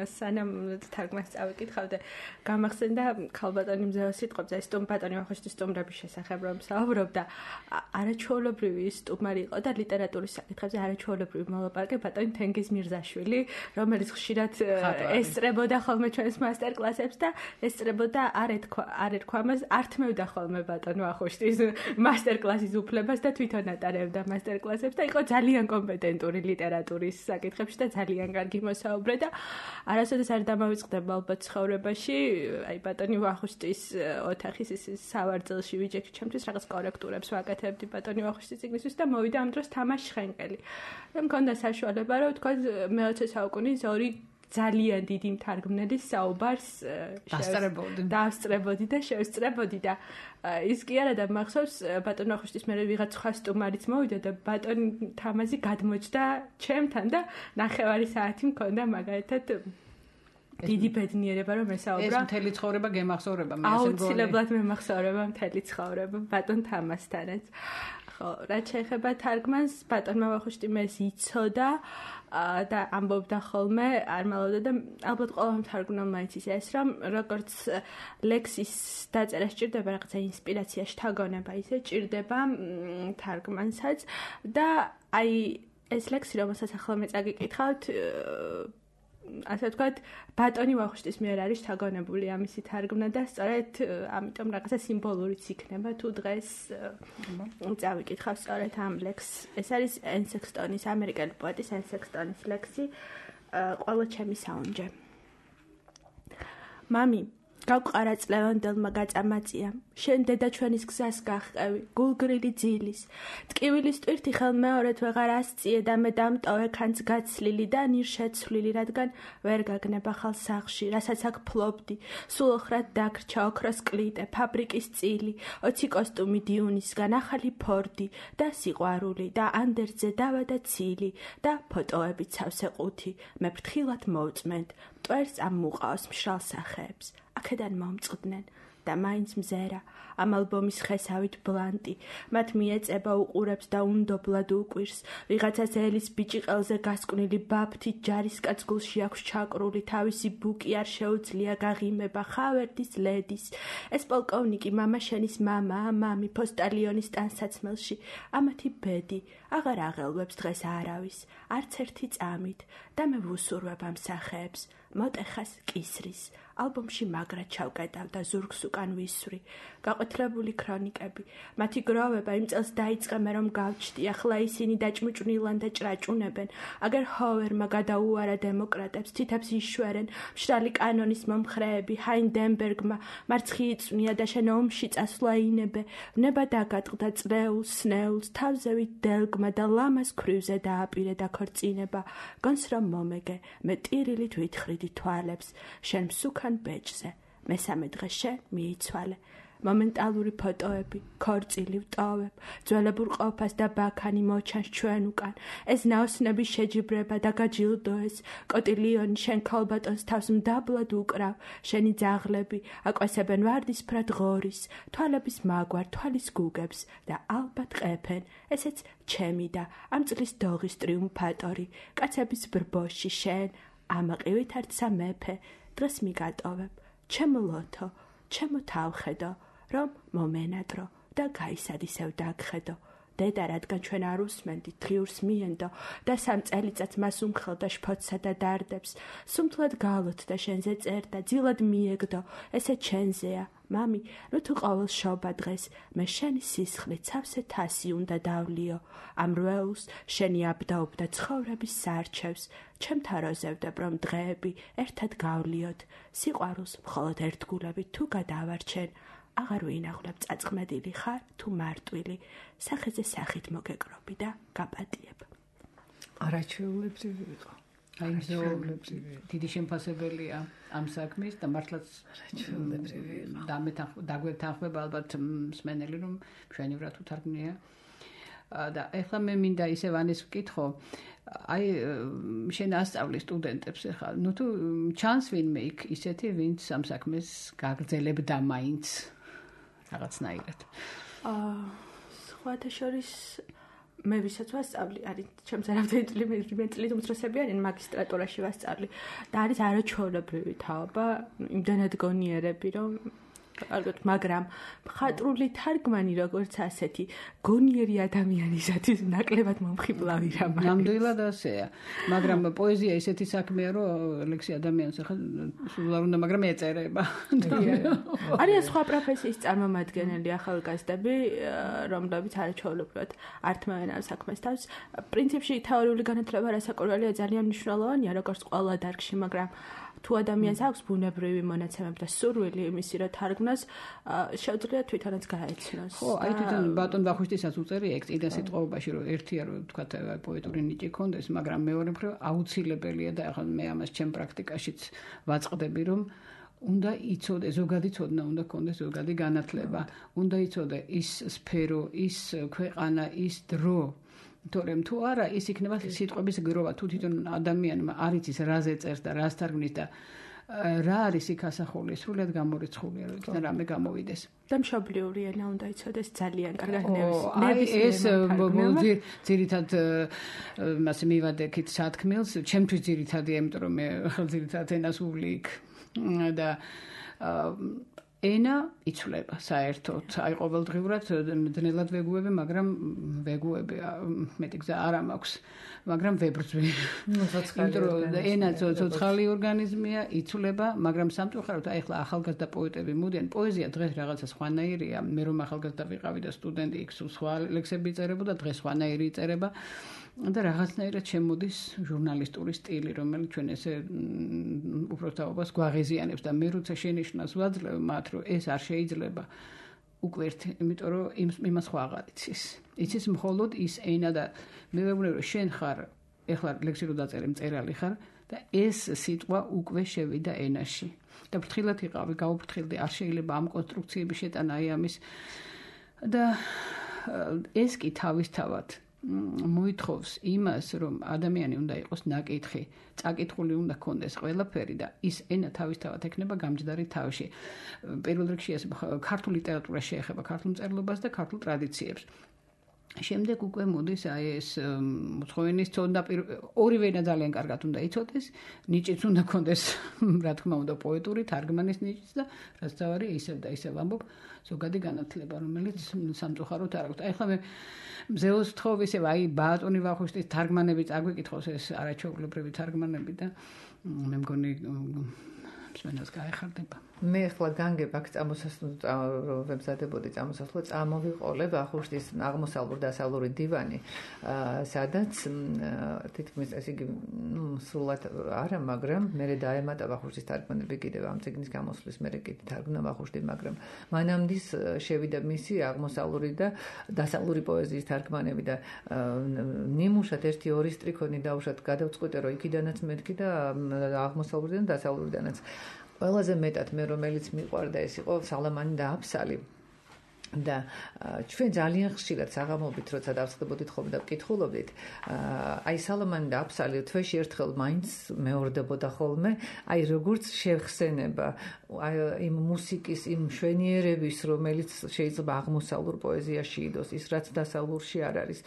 სანამ თარგმანს წავიკითხავდე, გამახსენდა ქალბატონი მზეო სიტყვებზე, სტუმბატონი ვახუშტის სტუმრების შესახებ რომ საუბრობდა, არაჩვეულებრივი სტუმარი იყო და ლიტერატურის საკითხებზე არაჩვეულებრივი მოლაპარაკე ბატონი თენგიზ მირზაშვილი, რომელიც ხშირად ესწრებოდა ხოლმე ჩვენს მასტერკლასებს და ესწრებოდა არ ერქვა მას, ართმევდა ხოლმე ბატონ ვახუშტის მასტერკლასის უფლებას და თვითონ ატარებდა მასტერკლასებს და იყო ძალიან კომპეტენტური ლიტერატურის საკითხებში და ძალიან კარგი მოსაუბრე და არასოდეს არ დამავიწყდება ალბათ ცხოვრებაში, აი ბატონი ვახუშტის ოთახის ის სავარძელში ვიჯექი ჩემთვის რაღაც კორექტურებს ვაკეთებდი ბატონი ვახუშტის წიგნისთვის და მოვიდა ამ დროს თამაშ შხენკელი. და მქონდა საშუალება რომ თქვა მე-20 საუკუნის ორი ძალიან დიდი მთარგმნელის საუბარს დავსწრებოდი და შევსწრებოდი და ის კი არა და მახსოვს ბატონ ვახუშტის მერე ვიღაც სხვა სტუმარიც მოვიდა და ბატონ თამაზი გადმოჭდა ჩემთან და 9 საათი მქონდა მაგალითად დიდი ბედნიერება რომ ესაუბრა. ეს მთელი ცხოვრება გემახსოვრება მე ასე მგონი. აუცილებლად მემახსოვრება მთელი ცხოვრება ბატონ თამასთანაც. ხო, რაც შეეხება თარგმანს, ბატონმა ვახუშტი მეს იცოდა და ამბობდა ხოლმე, არ მალავდა და ალბათ ყველა მთარგმნელმა იცის ეს, რომ როგორც ლექსის დაწერა სჭირდება რაღაცა ინსპირაცია, შთაგონება, ისე ჭირდება თარგმანსაც და აი ეს ლექსი, რომელსაც ახლა მე წაგიკითხავთ, ასე ვთქვათ, ბატონი ვახუშტის მიერ არის შთაგონებული ამისი თარგმნა და სწორედ ამიტომ რაღაცა სიმბოლურიც იქნება თუ დღეს წავიკითხავ სწორედ ამ ლექსს. ეს არის ენ სექსტონის, ამერიკელი პოეტის ენ სექსტონის ლექსი ყველა ჩემი საუნჯე. მამი, გავყარა წლევანდელმა გაწამაწია, შენ დედა ჩვენის გზას გახყევი, გულგრილი ძილის. ტკივილის ტვირთი ხელმეორედ ვეღარ ასწიე და მე დამტოვე ქანც გაცლილი და ნირ შეცვლილი, რადგან ვერ გაგნება ხალ სახლში, რასაც აქ ფლობდი. სულ ოხრად დაგრჩა ოქროს კლიტე, ფაბრიკის წილი, 20 კოსტუმი დიუნისგან, ახალი ფორდი და სიყვარული და ანდერძე დავა და ცილი და ფოტოებით სავსე ყუთი. მე ფრთხილად მოვწმენთ, მტვერს ამ მუყაოს მშრალ სახეებს. აქედან მომწყდნენ და მაინც მზერა ამ ალბომის ხესავით ბლანტი მათ მიეწება უყურებს და უნდობლად უკვირს ვიღაცას ელის ბიჭი ყელზე გასკვნილი ბაფთით ჯარისკაც გულში აქვს ჩაკრული თავისი ბუკი არ შეუძლია გაღიმება ხავერდის ლედის ეს პოლკოვნიკი მამა შენის მამაა მამი პოსტალიონის ტანსაცმელში ამათი ბედი აღარ აღელვებს დღეს არავის არც ერთი წამით და მე ვუსურვებ ამ სახეებს მოტეხას კისრის ალბომში მაგრად ჩავკეტავ და ზურგს უკან ვისვრი გაყეთლებული ქრონიკები მათი გროვება იმ წელს დაიწყე მე რომ გავჩდი ახლა ისინი დაჭმუჭნილან და ჭრაჭუნებენ აგერ ჰოვერმა გადაუარა დემოკრატებს თითებს იშვერენ მშრალი კანონის მომხრეები ჰაინდენბერგმა მარცხი იწვნია და შენ ომში წასვლა ინებე ნება დაგატყდა წრეულს სნეულს თავზევით დელგმა და ლამას ქვრივზე დააპირე და ქორწინება გონს რომ მომეგე მე ტირილით ვითხრიდი თვალებს შენ მსუქან ბეჭზე მესამე დღეს შენ მიიცვალე მომენტალური ფოტოები ქორწილი ვტოვებ ძველებურ ყოფას და ბაქანი მოჩანს ჩვენ უკან ეს ნაოსნების შეჯიბრება და გაჯილდოეს კოტილიონი შენ ქალბატონს თავს მდაბლად უკრავ შენი ძაღლები აკვესებენ ვარდისფრად ღორის თვალების მაგვარ თვალის გუგებს და ალბათ ყეფენ ესეც ჩემი და ამ წლის დოღის ტრიუმფატორი კაცების ბრბოში შენ ამაყივით არცა მეფე დღეს მიგატოვებ ჩემო ლოთო ჩემო თავხედო რომ მომენადრო და გაისადისევ დაგხედო დედა რადგან ჩვენ არ უსმენდით დღიურს მიენდო და 3 წელიწადს მას უმხელდა შფოთსა და დარდებს სუმთლად გალოთდა შენზე წერდა ძილად მიეგდო ესე ჩენზეა მამი ნუ თუ ყოველ შობა დღეს მე შენი სისხლით სავსე თასი უნდა დავლიო ამ რვეულს შენი აბდაობდა ცხოვრების სარჩევს ჩემთა როზევდებ რომ დღეები ერთად გავლიოთ სიყვარულს მხოლოდ ერთგულებით თუ გადავარჩენ აღარ ვინაღვლებ წაწყმედილი ხარ თუ მარტვილი სახეზე სახით მოგეკრობი და გაპატიებ არაჩვეულებრივი იყო აი დიდი შემფასებელია ამ საქმის და მართლაც არაჩვეულებრივი იყო დაგვეთანხმება ალბათ მსმენელი რომ მშვენივრად უთარგმნია და ეხლა მე მინდა ისევ ანეს ვკითხო აი შენ ასწავლი სტუდენტებს ახლა ნუ თუ ჩანს ვინმე იქ ისეთი ვინც ამ საქმეს გაგრძელებდა მაინც რაღაცნაირად სხვათა შორის მე ვისაც ვასწავლი, არის ჩემს არავითარი წლის უმცროსებიანი მაგისტრატურაში ვასწავლი და არის არაჩვეულებრივი თაობა, იმდანად გონიერები, რომ ალბათ, მაგრამ მხატვრული თარგმანი როგორც ასეთი გონიერი ადამიანისათვის ნაკლებად მომხიბლავი რამ არის. ნამდვილად ასეა. მაგრამ პოეზია ისეთი საქმეა, რომ ლექსი ადამიანს ახლა სულ არ უნდა, მაგრამ ეწერება. არიან სხვა პროფესიის წარმომადგენელი ახალგაზრდები, რომლებიც არაჩვეულებრივად ართმევენ ამ საქმეს თავს. პრინციპში თეორიული განათლება რასაკვირველია ძალიან მნიშვნელოვანია, როგორც ყველა დარგში, მაგრამ თუ ადამიანს აქვს ბუნებრივი მონაცემები და სურვილი იმისი, რომ თარგმნას, შეუძლია თვითონაც გაეცნოს. ხო, აი თვითონ ბატონ ვახუშტისაც უწერია ეგ წინა სიტყვაობაში, რომ ერთია რომ თქვა პოეტური ნიჭი ქონდეს, მაგრამ მეორე მხრივ აუცილებელია და ახლა მე ამას ჩემ პრაქტიკაშიც ვაწყდები, რომ უნდა იცოდე, ზოგადი ცოდნა უნდა ქონდეს, ზოგადი განათლება, უნდა იცოდე ის სფერო, ის ქვეყანა, ის დრო. თორემ თუ არა, ის იქნება სიტყვების გროვა, თუ თვითონ ადამიანმა არ იცის რაზე წერს და რას თარგმნის და რა არის იქ ასახული, სრულად გამორიცხულია, რომ იქიდან რამე გამოვიდეს. და მშობლიური ენა უნდა იცოდეს ძალიან კარგად ეს ძირითად მასე მივადექით სათქმელს, ჩემთვის ძირითადია, იმიტომ რომ მე ძირითად ენას ვუვლი იქ და ენა იცვლება საერთოდ. აი ყოველდღიურად ძნელად ვეგუები, მაგრამ ვეგუები მეტი გზა არ მაქვს, მაგრამ ვებრძვი. იმიტომ რომ ენა ცოცხალი ორგანიზმია, იცვლება, მაგრამ სამწუხაროდ აი ახლა ახალგაზრდა პოეტები მოდიან, პოეზია დღეს რაღაცა სხვანაირია. მე რომ ახალგაზრდა ვიყავი და სტუდენტი იქ სულ სხვა ლექსები იწერებოდა, დღეს სხვანაირი იწერება. და რაღაცნაირად შემოდის ჟურნალისტური სტილი, რომელიც ჩვენ ესე უბრალოდ გვაღიზიანებს და მე როცა შენიშვნას ვაძლევ მათ, რომ ეს არ შეიძლება უკვე ერთი, იმიტომ რომ იმას ხო აღარ იცის. იცის მხოლოდ ის ენა და მე ვეუბნები, რომ შენ ხარ, ეხლა ლექსი რო დაწერე, მწერალი ხარ და ეს სიტყვა უკვე შევიდა ენაში. და ფრთხილად იყავი, გავუფრთხილდი, არ შეიძლება ამ კონსტრუქციების შეტანა აი ამის და ეს კი თავისთავად მოითხოვს იმას, რომ ადამიანი უნდა იყოს ნაკითხი, წაკითხული უნდა ქონდეს ყველაფერი და ის ენა თავისთავად ექნება გამჯდარი თავში. პირველ რიგში ეს ქართულ ლიტერატურას შეეხება, ქართულ მწერლობას და ქართულ ტრადიციებს. შემდეგ უკვე მოდის აი ეს მოთხოვნის ცოდნა, ორივე ენა ძალიან კარგად უნდა იცოდეს, ნიჭიც უნდა ქონდეს, რა თქმა უნდა, პოეტური თარგმანის ნიჭიც და რაც თავარი ისევ და ისევ ამბობ, ზოგადი განათლება, რომელიც სამწუხაროდ არ აქვს. აი ხლა მე მზეოს ვთხოვ ისევ აი ბატონი ვახუშტის თარგმანები წაგვიკითხოს, ეს არაჩვეულებრივი თარგმანები და მე მგონი მსმენელს გაეხარდება. მე ახლა განგებ აქ ვემზადებოდი წამოსასვლო, წამოვიყოლე ვახუშტის აღმოსავლურ-დასავლური დივანი, სადაც თითქმის ეს იგი სრულად არა, მაგრამ მე დაემატა ვახუშტის თარგმანები კიდევ ამ წიგნის გამოსვლის მერე კიდე თარგმნა ვახუშტი, მაგრამ მანამდე შევიდა მისი აღმოსავლური და დასავლური პოეზიის თარგმანები და ნიმუშად 1-2 სტრიქონი დავუშვათ, გადავწყვიტე რომ იქიდანაც მეთქი და აღმოსავლურიდან და დასავლურიდანაც. ყველაზე მეტად მე რომელიც მიყვარდა ეს იყო სალამანი და აფსალი. და ჩვენ ძალიან ხშირად საღამოობით როცა დავსხდებოდით ხოლმე და ვკითხულობდით, აი სალამანი და აფსალი თვეში ერთხელ მაინც მეორდებოდა ხოლმე, აი როგორც შეხსენება, აი იმ მუსიკის, იმ მშვენიერების, რომელიც შეიძლება აღმოსავლურ პოეზიაში იდოს, ის რაც დასავლურში არ არის.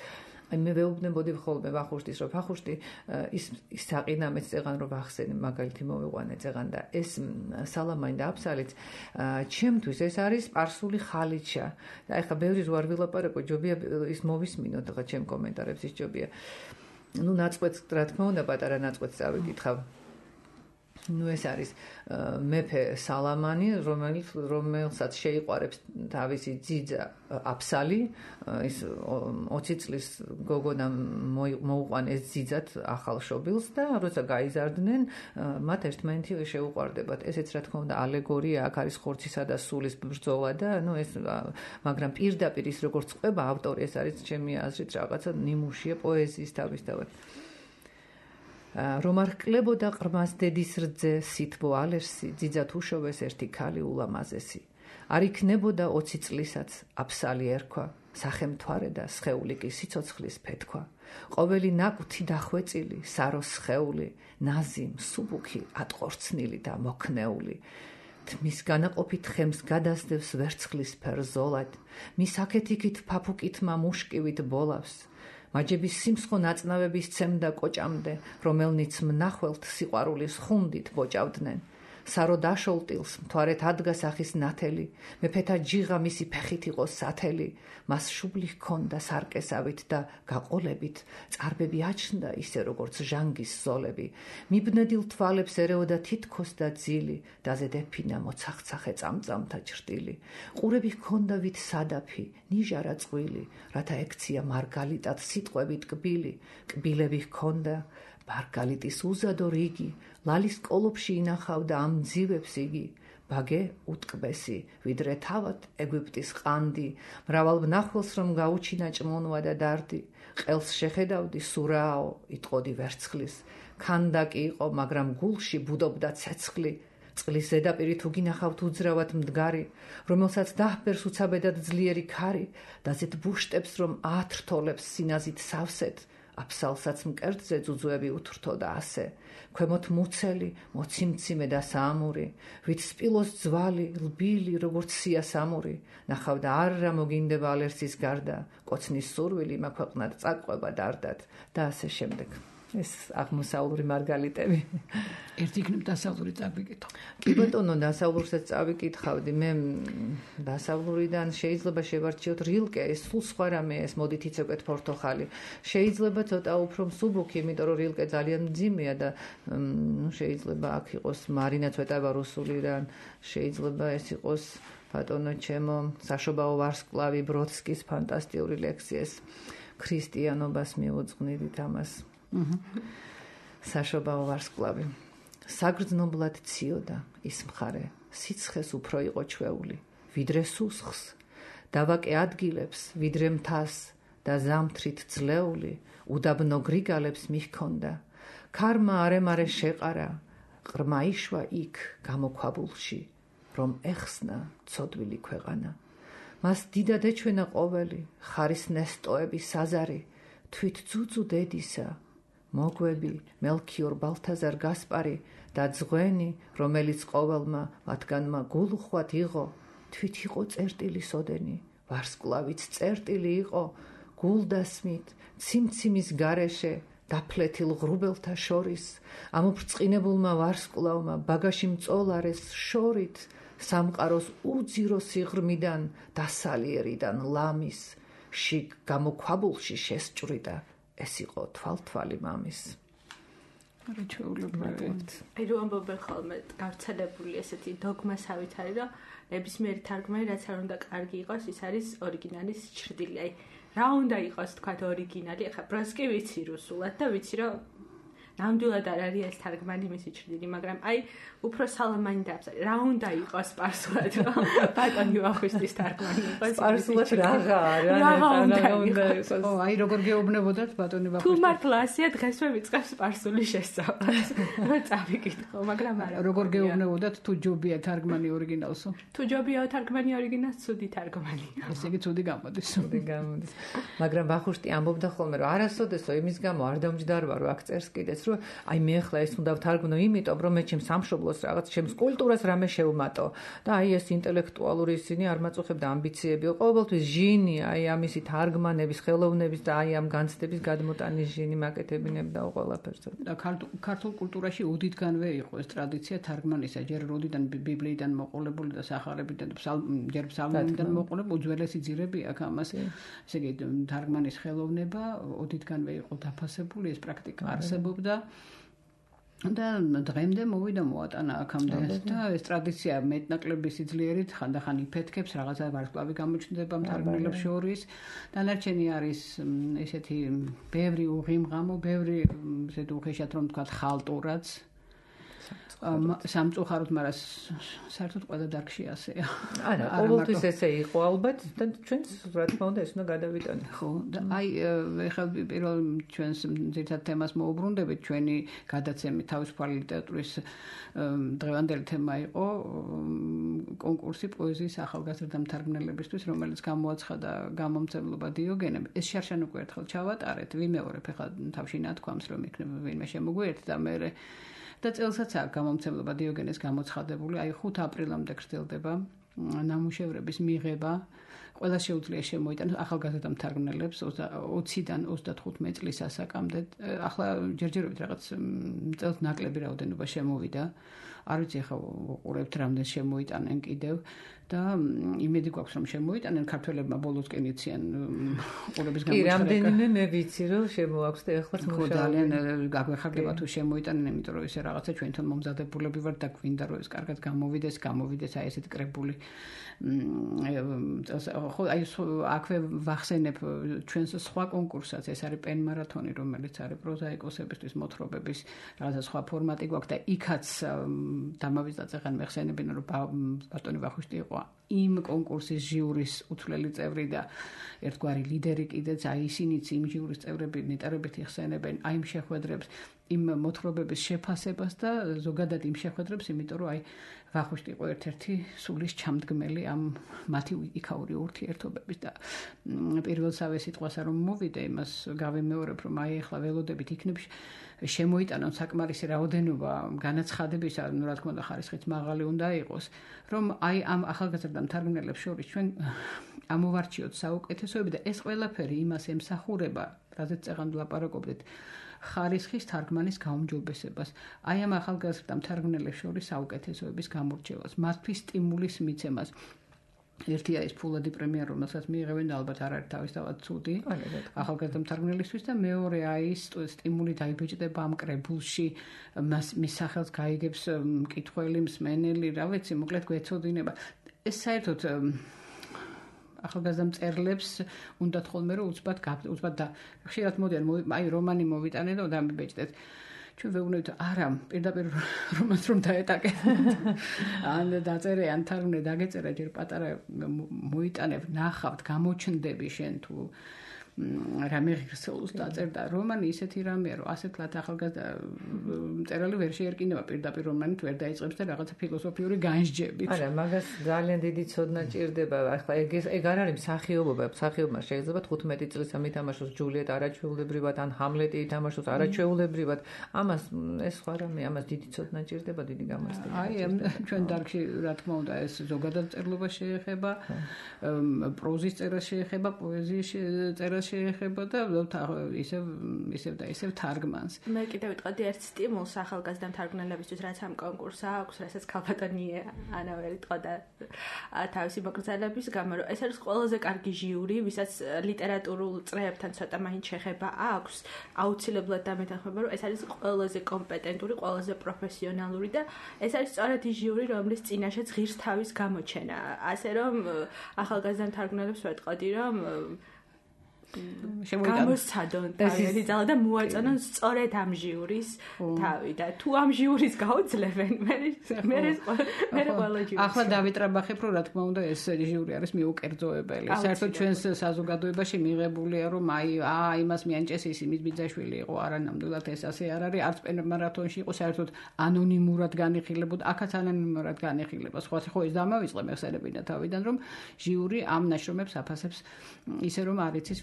აი მე ვეუბნებოდი ხოლმე ვახუშტის, რომ ვახუშტი ის საყინამეც წეღან რომ ვახსენე, მაგალითი მოვიყვანე წეღან და ეს სალამანი და აფსალიც ჩემთვის ეს არის სპარსული ხალიჩა. და ეხლა ბევრი რო არ ვილაპარაკო, ჯობია ის მოვისმინოთ ხა ჩემ კომენტარებს ის ჯობია. ნუ ნაწყვეტს რა თქმა უნდა პატარა ნაწყვეტს წავიკითხავ. ნუ ეს არის მეფე სალამანი, რომელსაც შეიყვარებს თავისი ძიძა აფსალი, ის 20 წლის გოგონა მოუყვანეს ძიძად ახალშობილს და როცა გაიზარდნენ, მათ ერთმანეთი შეუყვარდებათ. ესეც რა თქმა უნდა ალეგორია, აქ არის ხორცისა და სულის ბრძოლა და ნუ ეს, მაგრამ პირდაპირ ის როგორც ყვება ავტორი, ეს არის ჩემი აზრით რაღაცა ნიმუშია პოეზიის თავისთავად. რომ არ კლებოდა ყრმას დედის რძე სითბო ალერსი, ძიძად უშოვეს ერთი ქალი ულამაზესი. არ იქნებოდა 20 წლისაც აფსალი ერქვა, სახელმთვარე და სხეული კი სიცოცხლის ფეთქვა. ყოველი ნაკვთი დახვეწილი, საროს სხეული, ნაზი, მსუბუქი, ატყორცნილი და მოქნეული. თმის განაყოფით ხემს გადასდევს ვერცხლის ფერ ზოლად, მის აქეთ-იქით ფაფუკითმა მუშკივით ბოლავს. მაჯების სიმსხო ნაწნავების ცემდა კოჭამდე, რომელნიც მნახველთ სიყვარულის ხუნდით ბოჭავდნენ. სარო დაშოლტილს მთვარეთ ადგა სახის ნათელი, მეფეთა ჯიღა მისი ფეხით იყო სათელი, მას შუბლი ჰქონდა სარკესავით და გაყოლებით, წარბები აჩნდა ისე როგორც ჟანგის ზოლები, მიბნედილ თვალებს ერეოდა თითქოს და ძილი, დაზე დეფინა მოცახცახე წამწამთა ჭრტილი, ყურები ჰქონდა ვით სადაფი, ნიჟარა წყვილი, რათა ექცია მარგალიტად სიტყვებით კბილი, კბილები ჰქონდა მარგალიტის უზადო რიგი, ლალის კოლოფში ინახავდა ამ ძივებს იგი, ბაგე უტკბესი, ვიდრე თავად ეგვიპტის ყანდი, მრავალ მნახველს რომ გაუჩინა ჭმონვა და დარდი, ყელს შეხედავდი სურაო, იტყოდი ვერცხლის, ქანდაკი იყო, მაგრამ გულში ბუდობდა ცეცხლი, წყლის ზედაპირი თუ გინახავთ უძრავად მდგარი, რომელსაც დაჰბერს უცაბედად ძლიერი ქარი, დაზეთ ბუშტებს რომ ათრთოლებს სინაზით სავსეთ, აფსალსაც მკერდზე ძუძუები უთრთო და ასე, ქვემოთ მუცელი, მოციმციმე და საამური, ვით სპილოს ძვალი, ლბილი, როგორც სიასამური, ნახავდა არრა მოგინდება ალერსის გარდა, კოცნის სურვილი მაქვეყნად წაყვება დარდად და ასე შემდეგ. ეს აღმოსავლური მარგალიტები. ერთი იქნებ დასავლური წავიკითხო. კი ბატონო, დასავლურსაც წავიკითხავდი. მე დასავლურიდან შეიძლება შევარჩიოთ რილკე, ეს სულ სხვა რამე, ეს მოდით იცევკეთ პორტოხალი. შეიძლება ცოტა უფრო მსუბუქი, იმიტომ რომ რილკე ძალიან მძიმეა და შეიძლება აქ იყოს მარინა ცვეტავა რუსულიდან, შეიძლება ეს იყოს ბატონო ჩემო საშობაო ვარსკვლავი ბროდსკის ფანტასტიკური ლექსიეს ქრისტიანობას მიუძღვნით ამას. საშობაო ვარსკვლავი საგრძნობლად ციოდა ის მხარე, სიცხეს უფრო იყო ჩვეული, ვიდრე სუსხს, დავაკე ადგილებს, ვიდრე მთას და ზამთრით ძლეული, უდაბნო გრიგალებს მიჰქონდა, ქარმა არემარე შეყარა, ყრმა იშვა იქ გამოქვაბულში, რომ ეხსნა ცოდვილი ქვეყანა. მას დიდად ეჩვენა ყოველი, ხარის ნესტოები საზარი, თვით ძუძუ დედისა, მოგვები, მელქიორ ბალთაზარ გასპარი და ძღვენი, რომელიც ყოველმა მათგანმა გულუხვად იღო, თვით იყო წერტილი სოდენი, ვარსკვლავიც წერტილი იყო, გულდასმით, ციმციმის გარეშე, დაფლეთილ ღრუბელთა შორის, ამოფრწყინებულმა ვარსკვლავმა ბაგაში მწოლარეს შორით, სამყაროს უძირო სიღრმიდან, დასალიერიდან ლამის, შიგ გამოქვაბულში შესჭვრიდა. ეს იყო თვალთვალი მამის. აი რომ ამბობენ ხოლმე გავრცელებული ესეთი დოგმასავით არის, რომ ნებისმიერი თარგმანი რაც არ უნდა კარგი იყოს, ის არის ორიგინალის ჭრდილი. აი რა უნდა იყოს თქვათ ორიგინალი, ახლა ბროსკი ვიცი რუსულად და ვიცი რომ ნამდვილად არ არის ეს თარგმანი მისი ჭრდილი, მაგრამ აი უფრო სალამანი დაბს. რა უნდა იყოს სპარსულად, რომ ბატონი ვახუშტის თარგმანი იყოს? სპარსულად რაღა არა, აი როგორ გეუბნებოდათ ბატონი ვახუშტი? თუ მართლა ასია დღესვე ვიწყებ სპარსული შესწავლას, რომ წავიკითხო, მაგრამ არა. როგორ გეუბნებოდათ თუ ჯობია თარგმანი ორიგინალსო? თუ ჯობია თარგმანი ორიგინალს, ცუდი თარგმანია. ესე იგი ცუდი გამოდის. მაგრამ ვახუშტი ამბობდა ხოლმე, რომ არასოდესო იმის გამო არ დამჯდარვა, რომ აქ წერს კიდეც, რომ აი მე ახლა ეს უნდა ვთარგმნო იმიტომ, რომ მე ჩემს სამშობლოს რაღაც ჩემს კულტურას რამე შევმატო და აი ეს ინტელექტუალური ისინი არ მაწუხებდა ამბიციები, ყოველთვის ჟინი, აი ამისი თარგმანების, ხელოვნების და აი ამ განცდების გადმოტანის ჟინი მაკეთებინებდა ყველაფერს. და ქართულ კულტურაში უდიდგანვე იყო ეს ტრადიცია თარგმანისა, ჯერ როდიდან ბიბლიიდან მოყოლებული და სახარებიდან და ჯერ ფსალმუნიდან მოყოლებული უძველესი ძირები აქ ამას, ესე იგი თარგმანის ხელოვნება უდიდგანვე იყო დაფასებული, ეს პრაქტიკა არსებობდა. და დღემდე მოვიდა მოატანა აქამდე და ეს ტრადიცია მეტნაკლები სიძლიერით ხანდახან იფეთქებს, რაღაცა ვარსკვლავი გამოჩნდება მთარგმნელებს შორის. დანარჩენი არის ესეთი ბევრი უღიმღამო, ბევრი ესეთ უხეშად რომ თქვა ხალტურაც. სამწუხაროდ, მაგრამ საერთოდ ყველა დარგში ასეა. არა, ყოველთვის ესე იყო ალბათ და ჩვენც რა თქმა უნდა ეს უნდა გადავიტანოთ. ხო, და აი ეხლა პირველ ჩვენს ძირითად თემას მოუბრუნდებით, ჩვენი გადაცემი თავისუფალი ლიტერატურის დღევანდელი თემა იყო კონკურსი პოეზიის ახალგაზრდა მთარგმნელებისთვის, რომელიც გამოაცხადა გამომცემლობა დიოგენემ. ეს შარშან უკვე ერთხელ ჩავატარეთ, ვიმეორებ ეხლა თავში ნათქვამს, რომ იქნება ვინმე შემოგვიერთდა და მე და წელსაც აქვს გამომცემლობა დიოგენეს გამოცხადებული, აი 5 აპრილამდე გრძელდება ნამუშევრების მიღება, ყველა შეუძლია შემოიტანოს ახალგაზრდა მთარგმნელებს 20-დან 35 წლის ასაკამდე. ახლა ჯერჯერობით რაღაც წელს ნაკლები რაოდენობა შემოვიდა. არ ვიცი ახლა უყურებთ რამდენ შემოიტანენ კიდევ და იმედი გვაქვს რომ შემოიტანენ ქართველებმა ბოლოსკენ იციან ყურების გამოჩერება. კი, რამდენიმე მე ვიცი რომ შემოაქვს და ეხლაც მუშაობენ. ძალიან გაგვეხარდება თუ შემოიტანენ, იმიტომ რომ ესე რაღაცა ჩვენთან მომზადებულები ვართ და გვინდა რომ ეს კარგად გამოვიდეს აი ესეთი კრებული. ხო აი აქვე ვახსენებ ჩვენს სხვა კონკურსაც, ეს არის პენ მარათონი, რომელიც არის პროზაიკოსებისთვის მოთხრობების რაღაცა სხვა ფორმატი გვაქვს და იქაც დამავიწყდა წეგან მეხსენებინა რომ ბატონი ვახუშტი იყო იმ კონკურსის ჟიურის უცვლელი წევრი და ერთგვარი ლიდერი კიდეც აი ისინიც იმ ჟიურის წევრები ნეტარებით იხსენებენ აი იმ შეხვედრებს იმ მოთხრობების შეფასებას და ზოგადად იმ შეხვედრებს, იმიტომ რომ აი ვახუშტი იყო ერთ-ერთი სულის ჩამდგმელი ამ მათი იქაური ურთიერთობების და პირველსავე სიტყვასა რომ მოვიდე, იმას გავიმეორებ, რომ აი ახლა ველოდებით იქნებ შემოიტანონ საკმარისი რაოდენობა განაცხადებისა, ну რა თქმა უნდა ხარისხიც მაღალი უნდა იყოს, რომ აი ამ ახალგაზრდა მთარგმნელებს შორის ჩვენ ამოვარჩიოთ საუკეთესოები და ეს ყველაფერი იმას ემსახურება, რაზეც წეგან ვლაპარაკობდით, ხარისხის თარგმანის გაუმჯობესებას. აი ამ ახალგაზრდა მთარგმნელებს შორის საუკეთესოების გამორჩევას, მათთვის სტიმულის მიცემას. ერთია ის ფულადი პრემია, რომელსაც მიიღებენ და ალბათ არ არის თავისთავად ცუდი ახალგაზრდა მთარგმნელისთვის და მეორე აი ის სტიმული დაიბეჭდება ამ კრებულში, მის სახელს გაიგებს მკითხველი, მსმენელი, რა ვიცი, მოკლედ გვეცოდინება. ეს საერთოდ ახალგაზრდა მწერლებს უნდათ ხოლმე რომ უცბად და ხშირად მოდიან აი რომანი მოვიტანე და დამიბეჭდეთ. ჩვენ ვეუბნებით არა, პირდაპირ რომანს რომ დაეტაკეთ. ან დაწერე, ან თარგმნე, დაგეწერა ჯერ პატარა მოიტანებ, ნახავთ, გამოჩნდები შენ თუ რამე ღირსეულს დაწერ და რომანი ისეთი რამეა, რომ ასეთლად ახალგაზრდა მწერალი ვერ შეერკინება პირდაპირ რომანით ვერ დაიწყებს და რაღაცა ფილოსოფიური განსჯებით. არა, მაგას ძალიან დიდი ცოდნა ჭირდება. ახლა ეგ არ არის მსახიობობა, მსახიობმა შეიძლება 15 წლის ამითამაშოს ჯულიეტ არაჩვეულებრივად ან ჰამლეტი ითამაშოს არაჩვეულებრივად. ამას ეს სხვა რამე, ამას დიდი ცოდნა ჭირდება, დიდი გამოცდილება. აი, ჩვენ დარგში რა თქმა უნდა ეს ზოგადად წერლობა შეეხება, პროზის წერა შეეხება, პოეზიის წერა შეეხება და ისევ თარგმანს. მე კიდევ ვიტყოდი ერთ სტიმულს ახალგაზრდა მთარგმნელებისთვის, რაც ამ კონკურსს აქვს, რასაც ქალბატონი ანა ვერ იტყოდა თავისი მოგრძალების გამო, რომ ეს არის ყველაზე კარგი ჟიური, ვისაც ლიტერატურულ წრეებთან ცოტა მაინც შეხება აქვს, აუცილებლად დამეთანხმება, რომ ეს არის ყველაზე კომპეტენტური, ყველაზე პროფესიონალური და ეს არის სწორედ ის ჟიური, რომლის წინაშეც ღირს თავის გამოჩენა. ასე რომ ახალგაზრდა მთარგმნელებს ვეტყოდი, რომ გამოსცადონ თავი ძალა და მოაწონონ სწორედ ამ ჟიურის თავი და თუ ამ ჟიურის გაუძლებენ მე ყველა ჟიურის ახლა დავიტრაბახებ რომ რა თქმა უნდა ეს ჟიური არის მიუკერძოებელი საერთოდ ჩვენს საზოგადოებაში მიღებულია რომ აი იმას მიანჭეს ის იმის ბიძაშვილი იყო არა ნამდვილად ეს ასე არ არის არც პენ მარათონში იყო საერთოდ ანონიმურად განიხილებოდა აქაც ანონიმურად განიხილება სხვა ხო ეს დამავიწყე მეხსენებინა თავიდან რომ ჟიური ამ ნაშრომებს აფასებს ისე რომ არ იცის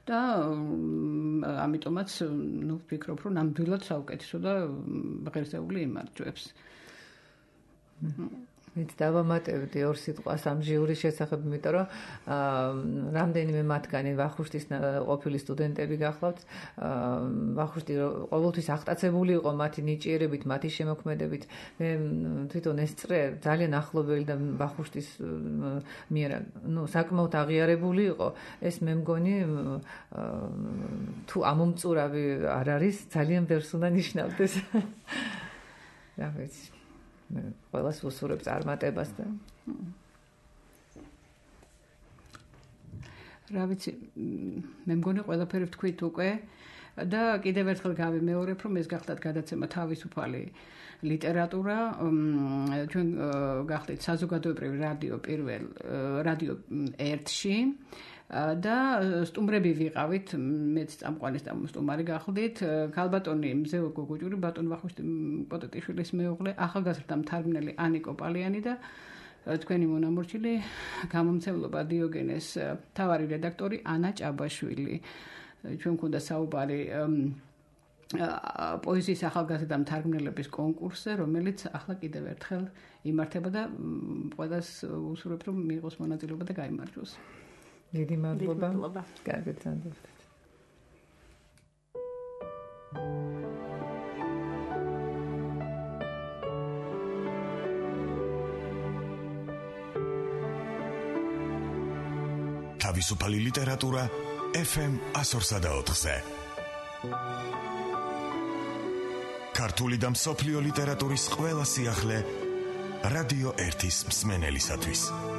და ამიტომაც ნუ ვფიქრობ რომ ნამდვილად საუკეთესო და ღირსეული იმარჯვებს. ვით დავამატებდი ორ სიტყვას ამ ჟიურის შესახებ, იმიტომ რომ რამდენიმე მათგანი ვახუშტის ყოფილი სტუდენტები გახლავთ. ვახუშტი ყოველთვის აღტაცებული იყო მათი ნიჭიერებით, მათი შემოქმედებით. მე თვითონ ეს წრე ძალიან ახლობელი და ვახუშტის მიერ საკმაოდ აღიარებული იყო. ეს მე მგონი თუ ამომწურავი არ არის, ძალიან ბევრს უნდა ნიშნავდეს. რა ვიცი. ყველას უსურვებს წარმატებას და რა ვიცი მე მგონი ყველაფერი ვთქვით უკვე და კიდევ ერთხელ გავიმეორებ რომ ეს გახლავთ გადაცემა თავისუფალი ლიტერატურა ჩვენ გახლავთ საზოგადოებრივი რადიო პირველ რადიო 1-ში და სტუმრები ვიყავით მეც წამყვანი სტუმარი გახლდით ქალბატონი მზეო გოგოჭური ბატონ ვახუშტი პოტეტიშვილის მეუღლე ახალგაზრდა მთარგმნელი ანიკო პალიანი და თქვენი მონამორჩილი გამომცემლობა დიოგენეს მთავარი რედაქტორი ანა ჭაბაშვილი ჩვენ გვქონდა საუბარი პოეზიის ახალგაზრდა მთარგმნელების კონკურსზე, რომელიც ახლა კიდევ ერთხელ იმართება და ყველას უსურვებ, რომ მიიღოს მონაწილეობა და გაიმარჯვოს. დიდი მადლობა. კარგად გრძანდებთ. თავისუფალი ლიტერატურა FM 104.4-ზე. ქართული და მსოფლიო ლიტერატურის ყველა სიახლე რადიო 1-ის მსმენელისათვის.